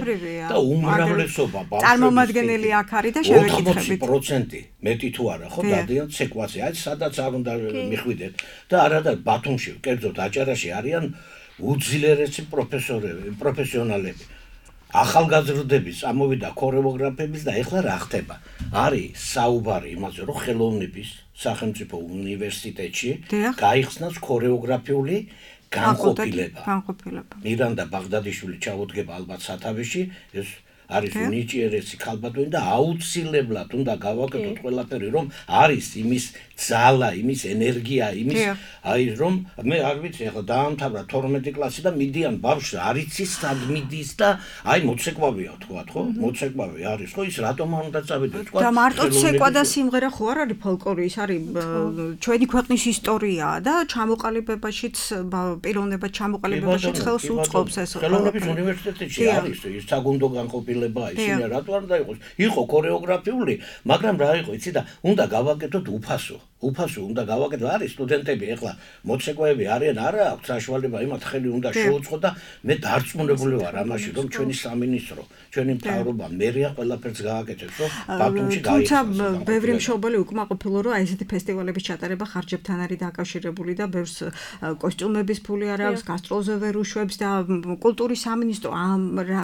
და უმრავლესობა ბავშვების წარმომადგენელი აქ არის და შევეკითხებით. ოთხმოცი პროცენტი მეტი თუ არა, ხო, დადიან ცეკვაზე. აი სადაც არ უნდა მიხვიდეთ და არა და ბათუმში, კერძოდ აჭარაში არიან უძლიერესი პროფესორები, პროფესიონალები. ახალგაზრდების ამოვიდა ქორეოგრაფების და ეხლა რა ხდება? არის საუბარი იმაზე, რომ ხელოვნების სახელმწიფო უნივერსიტეტში გაიხსნას ქორეოგრაფიული განყოფილება. განყოფილება. მირანდა ბაღდადიშვილი ჩაუდგება ალბათ სათავეში, ეს არის უნიჭიერესი ქალბატონი და აუცილებლად უნდა გავაკეთოთ ყველაფერი, რომ არის იმის ძალა, იმის ენერგია, იმის აი რომ მე არ ვიცი, ახლა დაამთავრა თორმეტი კლასი და მიდიან ბავშვი, არ იცის სად მიდის და აი მოცეკვავია თქვათ, ხო? მოცეკვავი არის, ხო? ის რატომ არ უნდა წავიდეთ, თქვათ? და მარტო ცეკვა და სიმღერა ხო არ არის ფოლკლორი, ის არის ჩვენი ქვეყნის ისტორიაა და ჩამოყალიბებაშიც პიროვნებად ჩამოყალიბებაშიც ხელს უწყობს ეს. ხელოვნების უნივერსიტეტში არის ის საგუნდო განყოფილება, ისინი რატო არ უნდა იყოს? იყო ქორეოგრაფიული, მაგრამ რა იყო, იცი და უნდა გავაკეთოთ უფასო. უფასო უნდა გავაკეთო, არის სტუდენტები ეხლა მოცეკვაები არიან, არა აქვს საშუალება, იმათ ხელი უნდა შეუწყო და მე დარწმუნებული ვარ ამაში, რომ ჩვენი სამინისტრო, ჩვენი მთავრობა მერია ყველაფერს გააკეთებს, რომ ბათუმში გაიხსნას. თუმცა ბევრი მშობელი უკმაყოფილო, რომ აი ესეთი ფესტივალების ჩატარება ხარჯებთან არის დაკავშირებული და ბევრს კოსტიუმების ფული არ აქვს, გასტროლზე ვერ უშვებს და კულტურის სამინისტრო ამ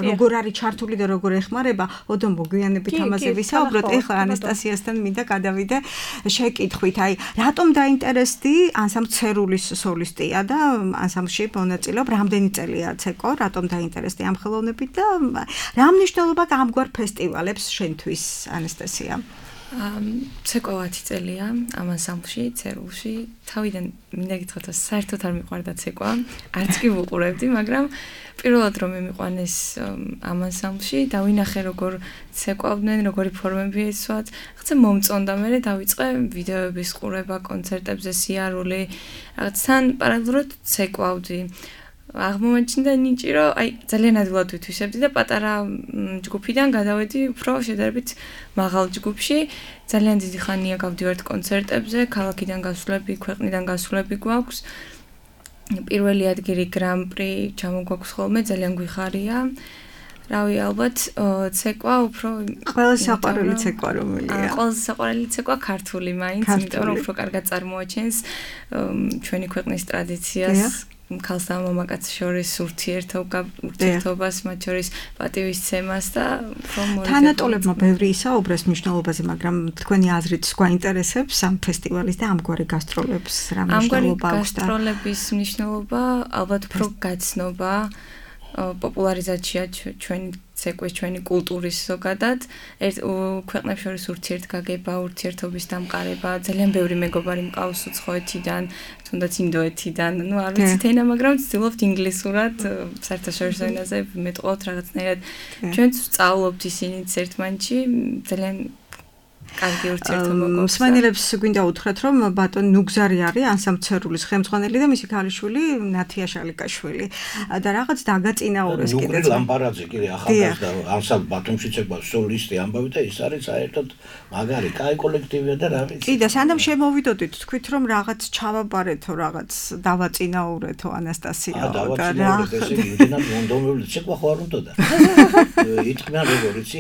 როგორ არის ჩართული და როგორ ეხმარება, ოდო მოგვიანებით ამაზე ვისაუბროთ. ეხლა ანასტასიასთან მინდა გადავიდე შეკითხვით. აი, რატომ დაინტერესდი ანსამბლ ცერულის სოლისტია და ანსამბლში მონაწილეობ, რამდენი წელია ცეკო, რატომ დაინტერესდი ამ ხელოვნებით და რა მნიშვნელობა გამგვარ ფესტივალებს შენთვის, ანასტასია? ცეკვა ათი წელია ამ ანსამბლში, ცერულში. თავიდან მინდა გითხრათ, საერთოდ არ მიყვარდა ცეკვა, არც კი ვუყურებდი, მაგრამ პირველად რომ მიმიყვანეს ამ ანსამბლში, დავინახე როგორ ცეკვავდნენ, როგორი ფორმები ეცვათ, რაღაცა მომწონდა, მე დავიწყე ვიდეოების ყურება, კონცერტებზე სიარული, რაღაც თან პარალელურად ცეკვავდი. აღმომაჩნდა ნიჭი, რომ აი ძალიან ადვილად ვითვისებდი და პატარა ჯგუფიდან გადავედი უფრო შედარებით მაღალ ჯგუფში. ძალიან დიდი ხანია გავდივართ კონცერტებზე, ქალაქიდან გასვლები, ქვეყნიდან გასვლები გვაქვს. პირველი ადგილი გრან-პრი ჩამოგვაქვს ხოლმე, ძალიან გვიხარია. რავი, ალბათ ცეკვა უფრო ყველაზე საყვარელი ცეკვა რომელია? ყველაზე საყვარელი ცეკვა ქართული მაინც, იმიტომ რომ უფრო კარგად წარმოაჩენს ჩვენი ქვეყნის ტრადიციას. ქალსა და მამაკაცს შორის ურთიერთობას, მათ შორის პატივისცემას და თანატოლებმა ბევრი ისაუბრეს მნიშვნელობაზე, მაგრამ თქვენი აზრით გვაინტერესებს ამ ფესტივალის და ამგვარი გასტროლების რა მნიშვნელობა აქვს და გასტროლების მნიშვნელობა ალბათ უფრო გაცნობა, პოპულარიზაცია ჩვენი ცეკვის, ჩვენი კულტურის ზოგადად, ქვეყნებს შორის ურთიერთგაგება, ურთიერთობის დამყარება, ძალიან ბევრი მეგობარი მყავს უცხოეთიდან, თუნდაც ინდოეთიდან, ну არ ვიცით ენა, მაგრამ ვცდილობთ ინგლისურად, საერთაშორისო ენაზე მეტყოთ რაღაცნაირად. ჩვენც ვსწავლობთ ისინიც ერთმანეთში, ძალიან კარგი ურთიერთობა გვაქვს. მსმენელებს გვინდა უთხრათ, რომ ბატონ ნუგზარი არის ანსამბლ ცერულის ხელმძღვანელი და მისი ქალიშვილი ნათია შალიკაშვილი. და რაღაც დაგაწინაურეს კიდეც. ნუგრი ლამპარაძე კიდე ახალგაზრდა ანსამბლ ბათუმში ცეკვავს სოლისტი ამბავი და ის არის საერთოდ მაგარი, კაი კოლექტივია და რა ვიცი. კი და სანამ შემოვიდოდით, თქვით რომ რაღაც ჩავაბარეთო, რაღაც დავაწინაურეთო ანასტასია და რა. ესე იმდენად მონდომებული ცეკვა ხო არ უნდოდა. იტყვიან როგორ იცი,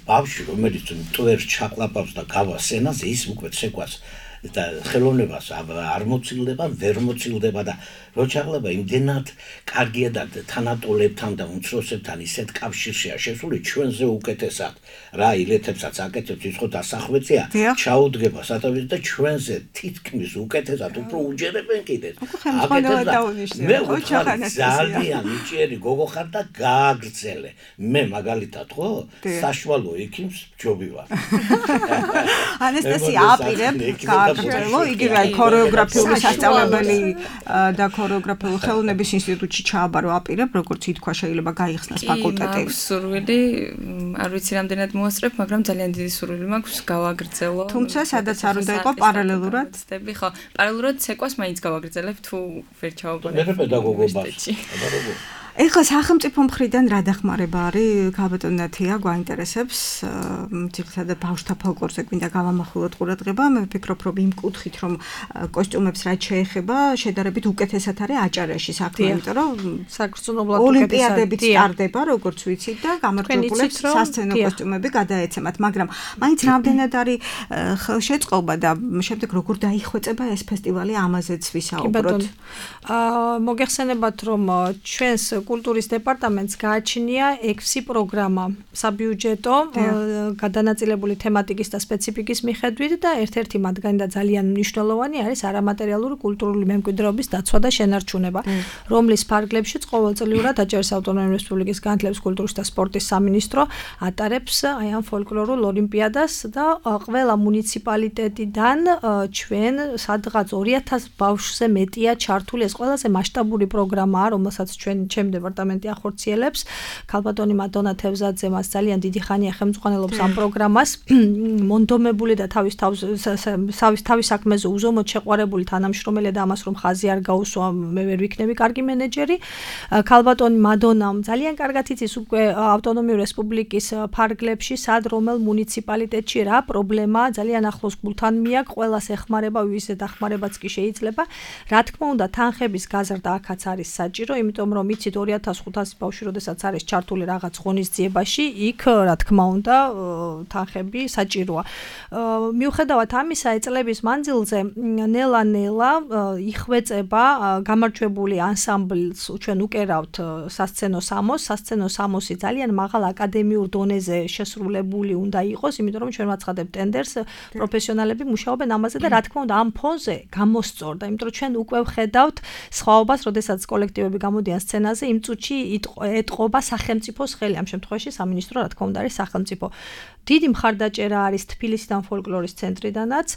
ბავშვი რომელიც ტვერს ჩაყლაპავს და გავა სცენაზე ის უკვე ცეკვას და ხელოვნებას არ მოცილდება, ვერ მოცილდება და რო ჩაღლება იმდენად კარგია და თანატოლებთან და უმცროსებთან ისეთ კავშირშია შესული ჩვენზე უკეთესად რა ილეთებსაც აკეთებს ის ხო დასახვეწია ჩაუდგება სათავეში და ჩვენზე თითქმის უკეთესად უფრო უჯერებენ კიდეც აკეთებს და მე ძალიან მიჭიერი გოგო ხარ და გააგრძელე მე მაგალითად ხო საშუალო ექიმს ჯობი ვარ ანესტასია აპირებ გააგრძელო იგივე ქორეოგრაფიული სასწავლებელი და ქორეოგრაფიული ხელოვნების ინსტიტუტში ჩააბარო აპირებ როგორც ითქვა შეიძლება გაიხსნას ფაკულტეტი მაქვს სურვილი არ ვიცი რამდენად მოასწრებ მაგრამ ძალიან დიდი სურვილი მაქვს გავაგრძელო თუმცა სადაც არ უნდა იყო პარალელურად სტები ხო პარალელურად ცეკვას მაინც გავაგრძელებ თუ ვერ ჩავაბარებ მე პედაგოგობას აბარებო ეხლა სახელმწიფო მხრიდან რა დახმარება არის ქალბატონ ნათია გვაინტერესებს ძირითადად ბავშვთა ფოლკლორზე გვინდა გავამახვილოთ ყურადღება მე ვფიქრობ რომ იმ კუთხით რომ კოსტიუმებს რაც შეეხება შედარებით უკეთესად არის აჭარაში საქმე იმიტომ რომ საკრწუნებლად ოლიმპიადებიც ტარდება როგორც ვიცით და გამარჯვებულებს სასცენო კოსტიუმები გადაეცემათ მაგრამ მაინც რამდენად არის ხელშეწყობა და შემდეგ როგორ დაიხვეწება ეს ფესტივალი ამაზეც ვისაუბროთ აა მოგეხსენებათ რომ ჩვენს კულტურის დეპარტამენტს გააჩნია ექვსი პროგრამა საბიუჯეტო გადანაწილებული თემატიკის და სპეციფიკის მიხედვით და ერთ-ერთი მათგანი და ძალიან მნიშვნელოვანი არის არამატერიალური კულტურული მემკვიდრეობის დაცვა და შენარჩუნება, რომლის ფარგლებშიც ყოველწლიურად აჭარის ავტონომიური რესპუბლიკის განათლების, კულტურის და სპორტის სამინისტრო ატარებს აი ამ ფოლკლორულ ოლიმპიადას და ყველა მუნიციპალიტეტიდან ჩვენ სადღაც ორი ათას ბავშვზე მეტია ჩართული ეს ყველაზე მასშტაბური პროგრამაა, რომელსაც ჩვენ ჩემ დეპარტამენტი ახორციელებს. ქალბატონი მადონა თევზაძე მას ძალიან დიდი ხანია ხელმძღვანელობს ამ პროგრამას. მონდომებული და თავის თავის თავის საქმეზე უზომოდ შეყვარებული თანამშრომელი და ამას რომ ხაზი არ გაუსვა მე ვერ ვიქნები კარგი მენეჯერი. ქალბატონი მადონამ ძალიან კარგად იცის უკვე ავტონომიური რესპუბლიკის ფარგლებში სად რომელ მუნიციპალიტეტში რა პრობლემაა ძალიან ახლოს გულთან მიაქვს ყველას ეხმარება ვისაც დახმარებაც კი შეიძლება. რა თქმა უნდა თანხების გაზრდა აქაც არის საჭირო იმიტომ რომ იცით ორი ათას ხუთასი ბავშვი როდესაც არის ჩართული რაღაც ღონისძიებაში იქ რა თქმა უნდა თანხები საჭიროა. მიუხედავად ამისა წლების მანძილზე ნელა-ნელა იხვეწება გამარჯვებული ანსამბლს ჩვენ უკერავთ სასცენო სამოს სასცენო სამოსი ძალიან მაღალ აკადემიურ დონეზე შესრულებული უნდა იყოს იმიტომ რომ ჩვენ ვაცხადებთ ტენდერს პროფესიონალები მუშაობენ ამაზე და რა თქმა უნდა ამ ფონზე გამოსწორდა იმიტომ რომ ჩვენ უკვე ვხედავთ სხვაობას როდესაც კოლექტივები გამოდიან სცენაზე იმ წუთში ეტყობა სახელმწიფოს ხელი ამ შემთხვევაში სამინისტრო რა თქმა უნდა არის სახელმწიფო დიდი მხარდაჭერა არის თბილისიდან ფოლკლორის ცენტრიდანაც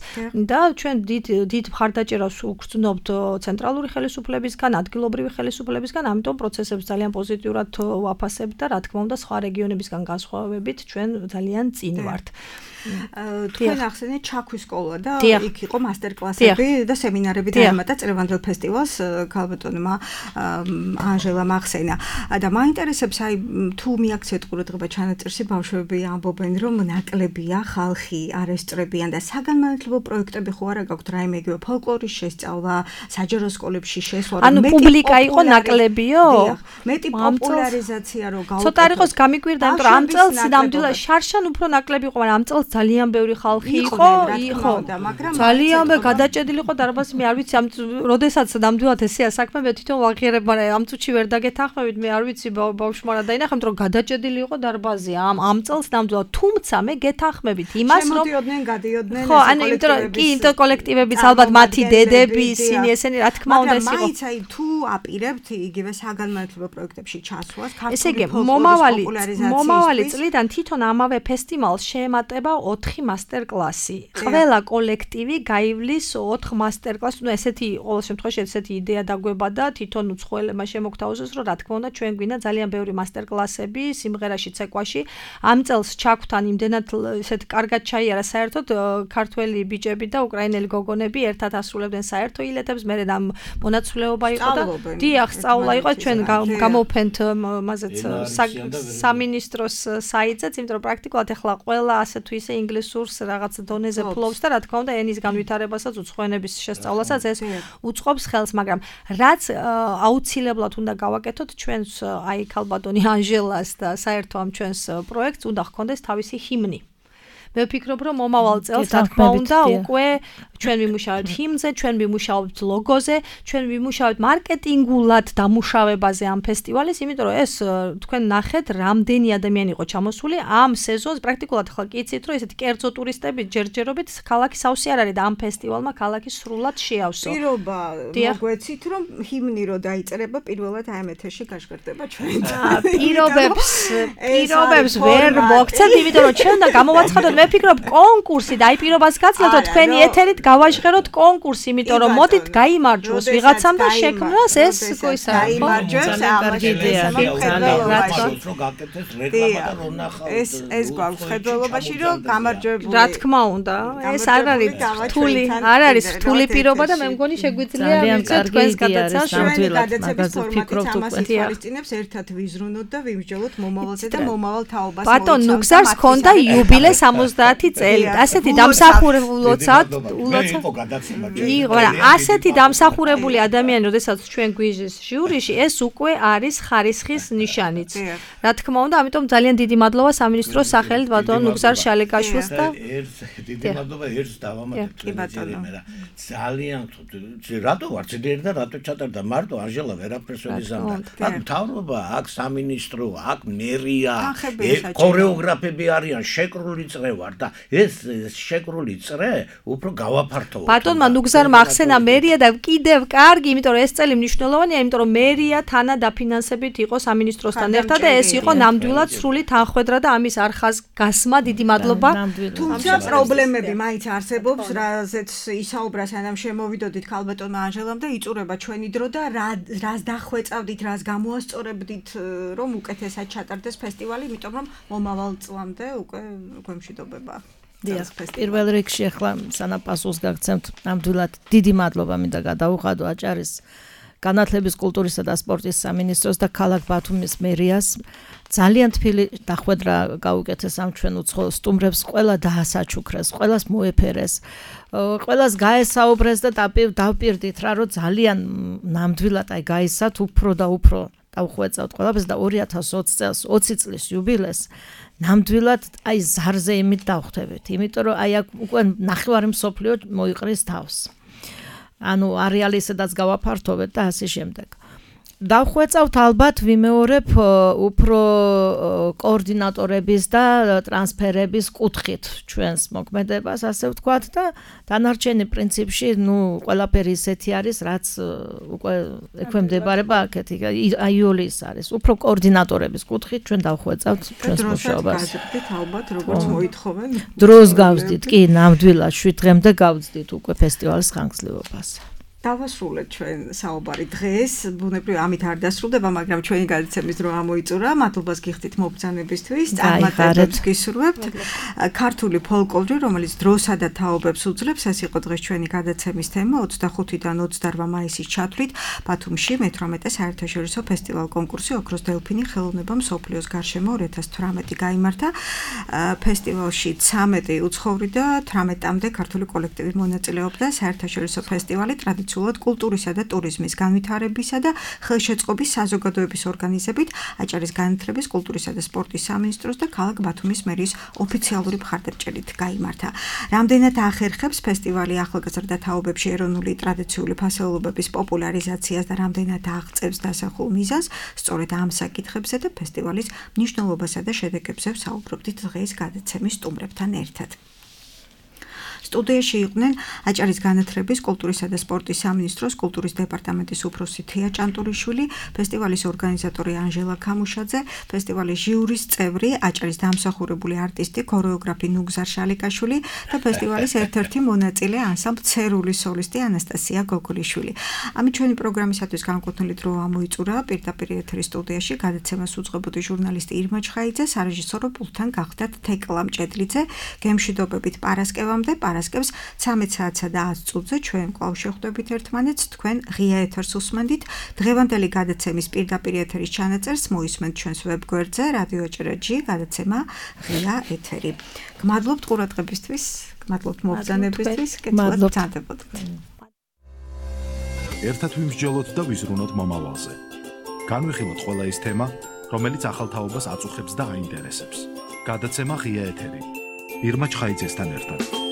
და ჩვენ დიდ დიდ მხარდაჭერას ვგრძნობთ ცენტრალური ხელისუფლებისგან, ადგილობრივი ხელისუფლებისგან, ამიტომ პროცესებს ძალიან პოზიტიურად ვაფასებთ და რა თქმა უნდა სხვა რეგიონებისგან განსხვავებით ჩვენ ძალიან წინ ვართ. თქვენ ახსენეთ ჩაქვის სკოლა და იქ იყო მასტერკლასები და სემინარები დაემატა წლევანდელ ფესტივალს ქალბატონმა ანჟელა მახსენა და მაინტერესებს აი თუ მიაქცეთ ყურადღება ჩანაწერში ბავშვები ამბობენ რომ ნაკლებია ხალხი არ ესწრებიან და საგანმანათლებლო პროექტები ხო არა გაქვთ რაიმე იგივე ფოლკლორის შესწავლა საჯარო სკოლებში შესვლა ანუ პუბლიკა იყო ნაკლებიო მეტი პოპულარიზაცია რო გავუკეთოთ ცოტა არ იყოს გამიკვირდა იმიტომ რომ ამ წელს ნამდვილად შარშან უფრო ნაკლები იყო მაგრამ ამ წელს ძალიან ბევრი ხალხი იყო, იყო, ძალიან ბევრი გადაჭედილი იყო დარბაზი, მე არ ვიცი ამ როდესაც ნამდვილად ესეა საქმე, მე თვითონ ვაღიარებ, მაგრამ ამ წუთში ვერ დაგეთანხმებით, მე არ ვიცი ბავშვმა რა დაინახე, რომ გადაჭედილი იყო დარბაზი ამ ამ წელს ნამდვილად, თუმცა მე გეთანხმებით იმას, რომ შემოდიოდნენ, გადიოდნენ ხო, ანუ იმიტომ რომ კი იმიტომ კოლექტივებიც ალბათ მათი დედები, ისინი ესენი რა თქმა უნდა ეს იყო. მაგრამ მაინც აი თუ აპირებთ იგივე საგანმანათლებლო პროექტებში ჩასვლას, ქართული ფოლკლორის პოპულარიზაციის მომავალი წლიდან თვითონ ამავე ფესტივალს შეემატება ოთხი მასტერკლასი. ყველა კოლექტივი გაივლის ოთხ მასტერკლასს. ნუ ესეთი ყოველ შემთხვევაში ესეთი იდეა დაგვება და თვითონ უცხოელებმა შემოგთავაზეს, რომ რა თქმა უნდა ჩვენ გვინდა ძალიან ბევრი მასტერკლასები სიმღერაში, ცეკვაში. ამ წელს ჩაგვთან იმდენად ესეთ კარგად ჩაიარა საერთოდ ქართველი ბიჭები და უკრაინელი გოგონები ერთად ასრულებდნენ საერთო ილეთებს. მე ამ მონაცვლეობა იყო და დიახ, სწავლა იყო ჩვენ გამოვფენთ მაზეც სამინისტროს საიტზეც, იმიტომ რომ პრაქტიკულად ახლა ყველა ასე თუ ისე ინგლისურს რაღაც დონეზე ფლობს და რა თქმა უნდა ენის განვითარებასაც უცხოენების შესწავლასაც ეს უწყობს ხელს, მაგრამ რაც აუცილებლად უნდა გავაკეთოთ ჩვენს აი ქალბატონი ანჟელას და საერთო ამ ჩვენს პროექტს უნდა ჰქონდეს თავისი ჰიმნი. მე ვფიქრობ, რომ მომავალ წელს რა თქმა უნდა უკვე ჩვენ ვიმუშავებთ ჰიმნზე, ჩვენ ვიმუშავებთ ლოგოზე, ჩვენ ვიმუშავებთ მარკეტინგულად დამუშავებაზე ამ ფესტივალის, იმიტომ რომ ეს თქვენ ნახეთ, რამდენი ადამიანი იყო ჩამოსული ამ სეზონს, პრაქტიკულად ხლა კი იცით, რომ ესეთი კერძო ტურისტები ჯერჯერობით ქალაქი სავსე არ არის და ამ ფესტივალმა ქალაქი სრულად შეავსო. პირობა მოგვეცით, რომ ჰიმნი რო დაიწერება, პირველად აი ამ ეთერში გაშკერდება ჩვენ. პირობებს, პირობებს ვერ მოგცეთ, იმიტომ რომ ჩვენ და გამოვაცხადოთ, მე ვფიქრობ კონკურსი და აი პირობას გაცლოთ, რომ თქვენი ეთერით გავაჟღეროთ კონკურსი, იმიტომ რომ მოდით გაიმარჯვოს ვიღაცამ და შექმნას ეს გოისა. გაიმარჯვოს, ამაში ეს ეს გვაქვს ხედველობაში, რომ გამარჯვებული. რა თქმა უნდა, ეს არ არის რთული, არ არის რთული პირობა და მე მგონი შეგვიძლია თქვენს გადაცემას ნამდვილად მაგაზე ვფიქრობთ უკვე. ხალისწინებს ერთად ვიზრუნოთ და ვიმსჯელოთ მომავალზე და მომავალ თაობას. ბატონ ნუგზარს ჰქონდა იუბილე სამოცდაათი წელი. ასეთი დამსახურებულოცად, იყო გადაცემა. იყო, რა, ასეთი დამსახურებული ადამიანი, როდესაც ჩვენ გვიჟის ჟიურიში, ეს უკვე არის ხარისხის ნიშანიც. რა თქმა უნდა, ამიტომ ძალიან დიდი მადლობა სამინისტროს სახელით ბატონ ნუგზარ შალეკაშვილს და დიდი მადლობა ერთს დავამატებ. კი ბატონო. ძალიან რატო ვარ ძლიერი და რატო ჩატარდა მარტო ანჟელა ვერაფერს ვერ იზამდა. აქ მთავრობა, აქ სამინისტრო, აქ მერია, ქორეოგრაფები არიან, შეკრული წრე ვარ და ეს შეკრული წრე უფრო გავაფართოვოთ. ბატონმა ნუგზარმა ახსენა მერია და კიდევ კარგი, იმიტომ რომ ეს წელი მნიშვნელოვანია, იმიტომ რომ მერია თანა დაფინანსებით იყო სამინისტროსთან ერთად და ეს იყო ნამდვილად სრული თანხმედრა და ამის არხას გასმა დიდი მადლობა. თუმცა პრობლემები მაინც არსებობს, რაზეც ისაუბრა სანამ შემოვიდოდით ქალბატონმა ანჟელამ და იწურება ჩვენი დრო და რას დახვეწავდით, რას გამოასწორებდით, რომ უკეთესად ჩატარდეს ფესტივალი, იმიტომ რომ მომავალ წლამდე უკვე უკვე მშვიდობება. დიახ, პირველ რიგში ახლა სანამ პასუხს გაგცემთ, ნამდვილად დიდი მადლობა მინდა გადავუხადო აჭარის განათლების, კულტურისა და სპორტის სამინისტროს და ქალაქ ბათუმის მერიას. ძალიან თბილი დახვედრა გაუკეთეს ამ ჩვენ უცხო სტუმრებს, ყველა დაასაჩუქრეს, ყველას მოეფერეს, ყველას გაესაუბრეს და დავპირდით რა, რომ ძალიან ნამდვილად აი გაისათ უფრო და უფრო დავხვეწავთ ყველაფერს და ორი ათას ოცი წელს ოცი წლის იუბილეს ნამდვილად აი ზარზე იმით დავხვდებით, იმიტომ რომ აი აქ უკვე ნახევარი მსოფლიო მოიყრის თავს. ანუ არეალი სადაც გავაფართოვეთ და ასე შემდეგ. დავხვეწავთ ალბათ ვიმეორებ უფრო კოორდინატორების და ტრანსფერების კუთხით ჩვენს მოქმედებას, ასე ვთქვათ და დანარჩენი პრინციპში, ნუ ყველაფერი ისეთი არის, რაც უკვე ექვემდებარება აქეთ, აიოლის არის. უფრო კოორდინატორების კუთხით ჩვენ დავხვეწავთ ჩვენს მუშაობას. გაზრდით ალბათ როგორც მოითხოვენ. დროს გავზდით, კი, ნამდვილად შვიდ დღემდე გავზდით უკვე ფესტივალის ხანგრძლივობას. დავასრულეთ ჩვენ საუბარი დღეს, ბუნებრივ ამით არ დასრულდება, მაგრამ ჩვენი გადაცემის დრო ამოიწურა. მადლობას გიხდით მობრძანებისთვის, წარმატებებს გისურვებთ. ქართული ფოლკლორი, რომელიც დროსა და თაობებს უძლებს, ეს იყო დღეს ჩვენი გადაცემის თემა. ოცდახუთიდან ოცდარბა მაისის ჩათვლით ბათუმში მეთვრამეტე საერთაშორისო ფესტივალ კონკურსი ოქროს დელფინი ხელოვნება მსოფლიოს გარშემო ორი ათას თვრამეტი გაიმართა. ფესტივალში ცამეტი უცხოური და თვრამეტამდე ქართული კოლექტივი მონაწილეობდა. საერთაშორისო ფესტივალი ტრადიციულად კულტურისა და ტურიზმის განვითარებისა და ხელშეწყობის საზოგადოების ორგანიზებით აჭარის განათლების, კულტურისა და სპორტის სამინისტროს და ქალაქ ბათუმის მერიის ოფიციალური მხარდაჭერით გაიმართა. რამდენად ახერხებს ფესტივალი ახალგაზრდა თაობებში ეროვნული ტრადიციული ფასეულობების პოპულარიზაციას და რამდენად აღწევს დასახულ მიზანს, სწორედ ამ საკითხებზე და ფესტივალის მნიშვნელობასა და შედეგებზე ვსაუბრობდით დღეს გადაცემის სტუმრებთან ერთად. სტუდიაში იყვნენ აჭარის განათლების, კულტურისა და სპორტის სამინისტროს კულტურის დეპარტამენტის უფროსი თეა ჭანტურიშვილი, ფესტივალის ორგანიზატორი ანჟელა ქამუშაძე, ფესტივალის ჟიურის წევრი, აჭარის დამსახურებული არტისტი, ქორეოგრაფი ნუგზარ შალეკაშვილი და ფესტივალის ერთ-ერთი მონაწილე ანსამბლ ცერულის სოლისტი ანასტასია გოგოლიშვილი. ამით ჩვენი პროგრამისათვის განკუთვნილი დრო ამოიწურა. პირდაპირ ეთერის სტუდიაში გადაცემას უძღვებოდი ჟურნალისტი ირმა ჩხაიძე, სარეჟისორო პულტთან გახდათ თეკლა მჭედლიძე, გემშვიდობებით პარასკევამდე. პარასკევს ცამეტ საათსა და ათს წუთზე ჩვენ კვლავ შეხვდებით ერთმანეთს, თქვენ ღია ეთერს უსმენდით. დღევანდელი გადაცემის პირდაპირ ეთერის ჩანაწერს მოისმენთ ჩვენს ვებგვერდზე რადიო აჭარა ჯი გადაცემა ღია ეთერი. გმადლობთ ყურადღებისთვის, გმადლობთ მობრძანებისთვის, კეთილად გრძანდებოდეთ. ერთად ვიმსჯელოთ და ვიზრუნოთ მომავალზე. განვიხილოთ ყველა ის თემა, რომელიც ახალ თაობას აწუხებს და აინტერესებს. გადაცემა ღია ეთერი. ირმა ჩხაიძესთან ერთად.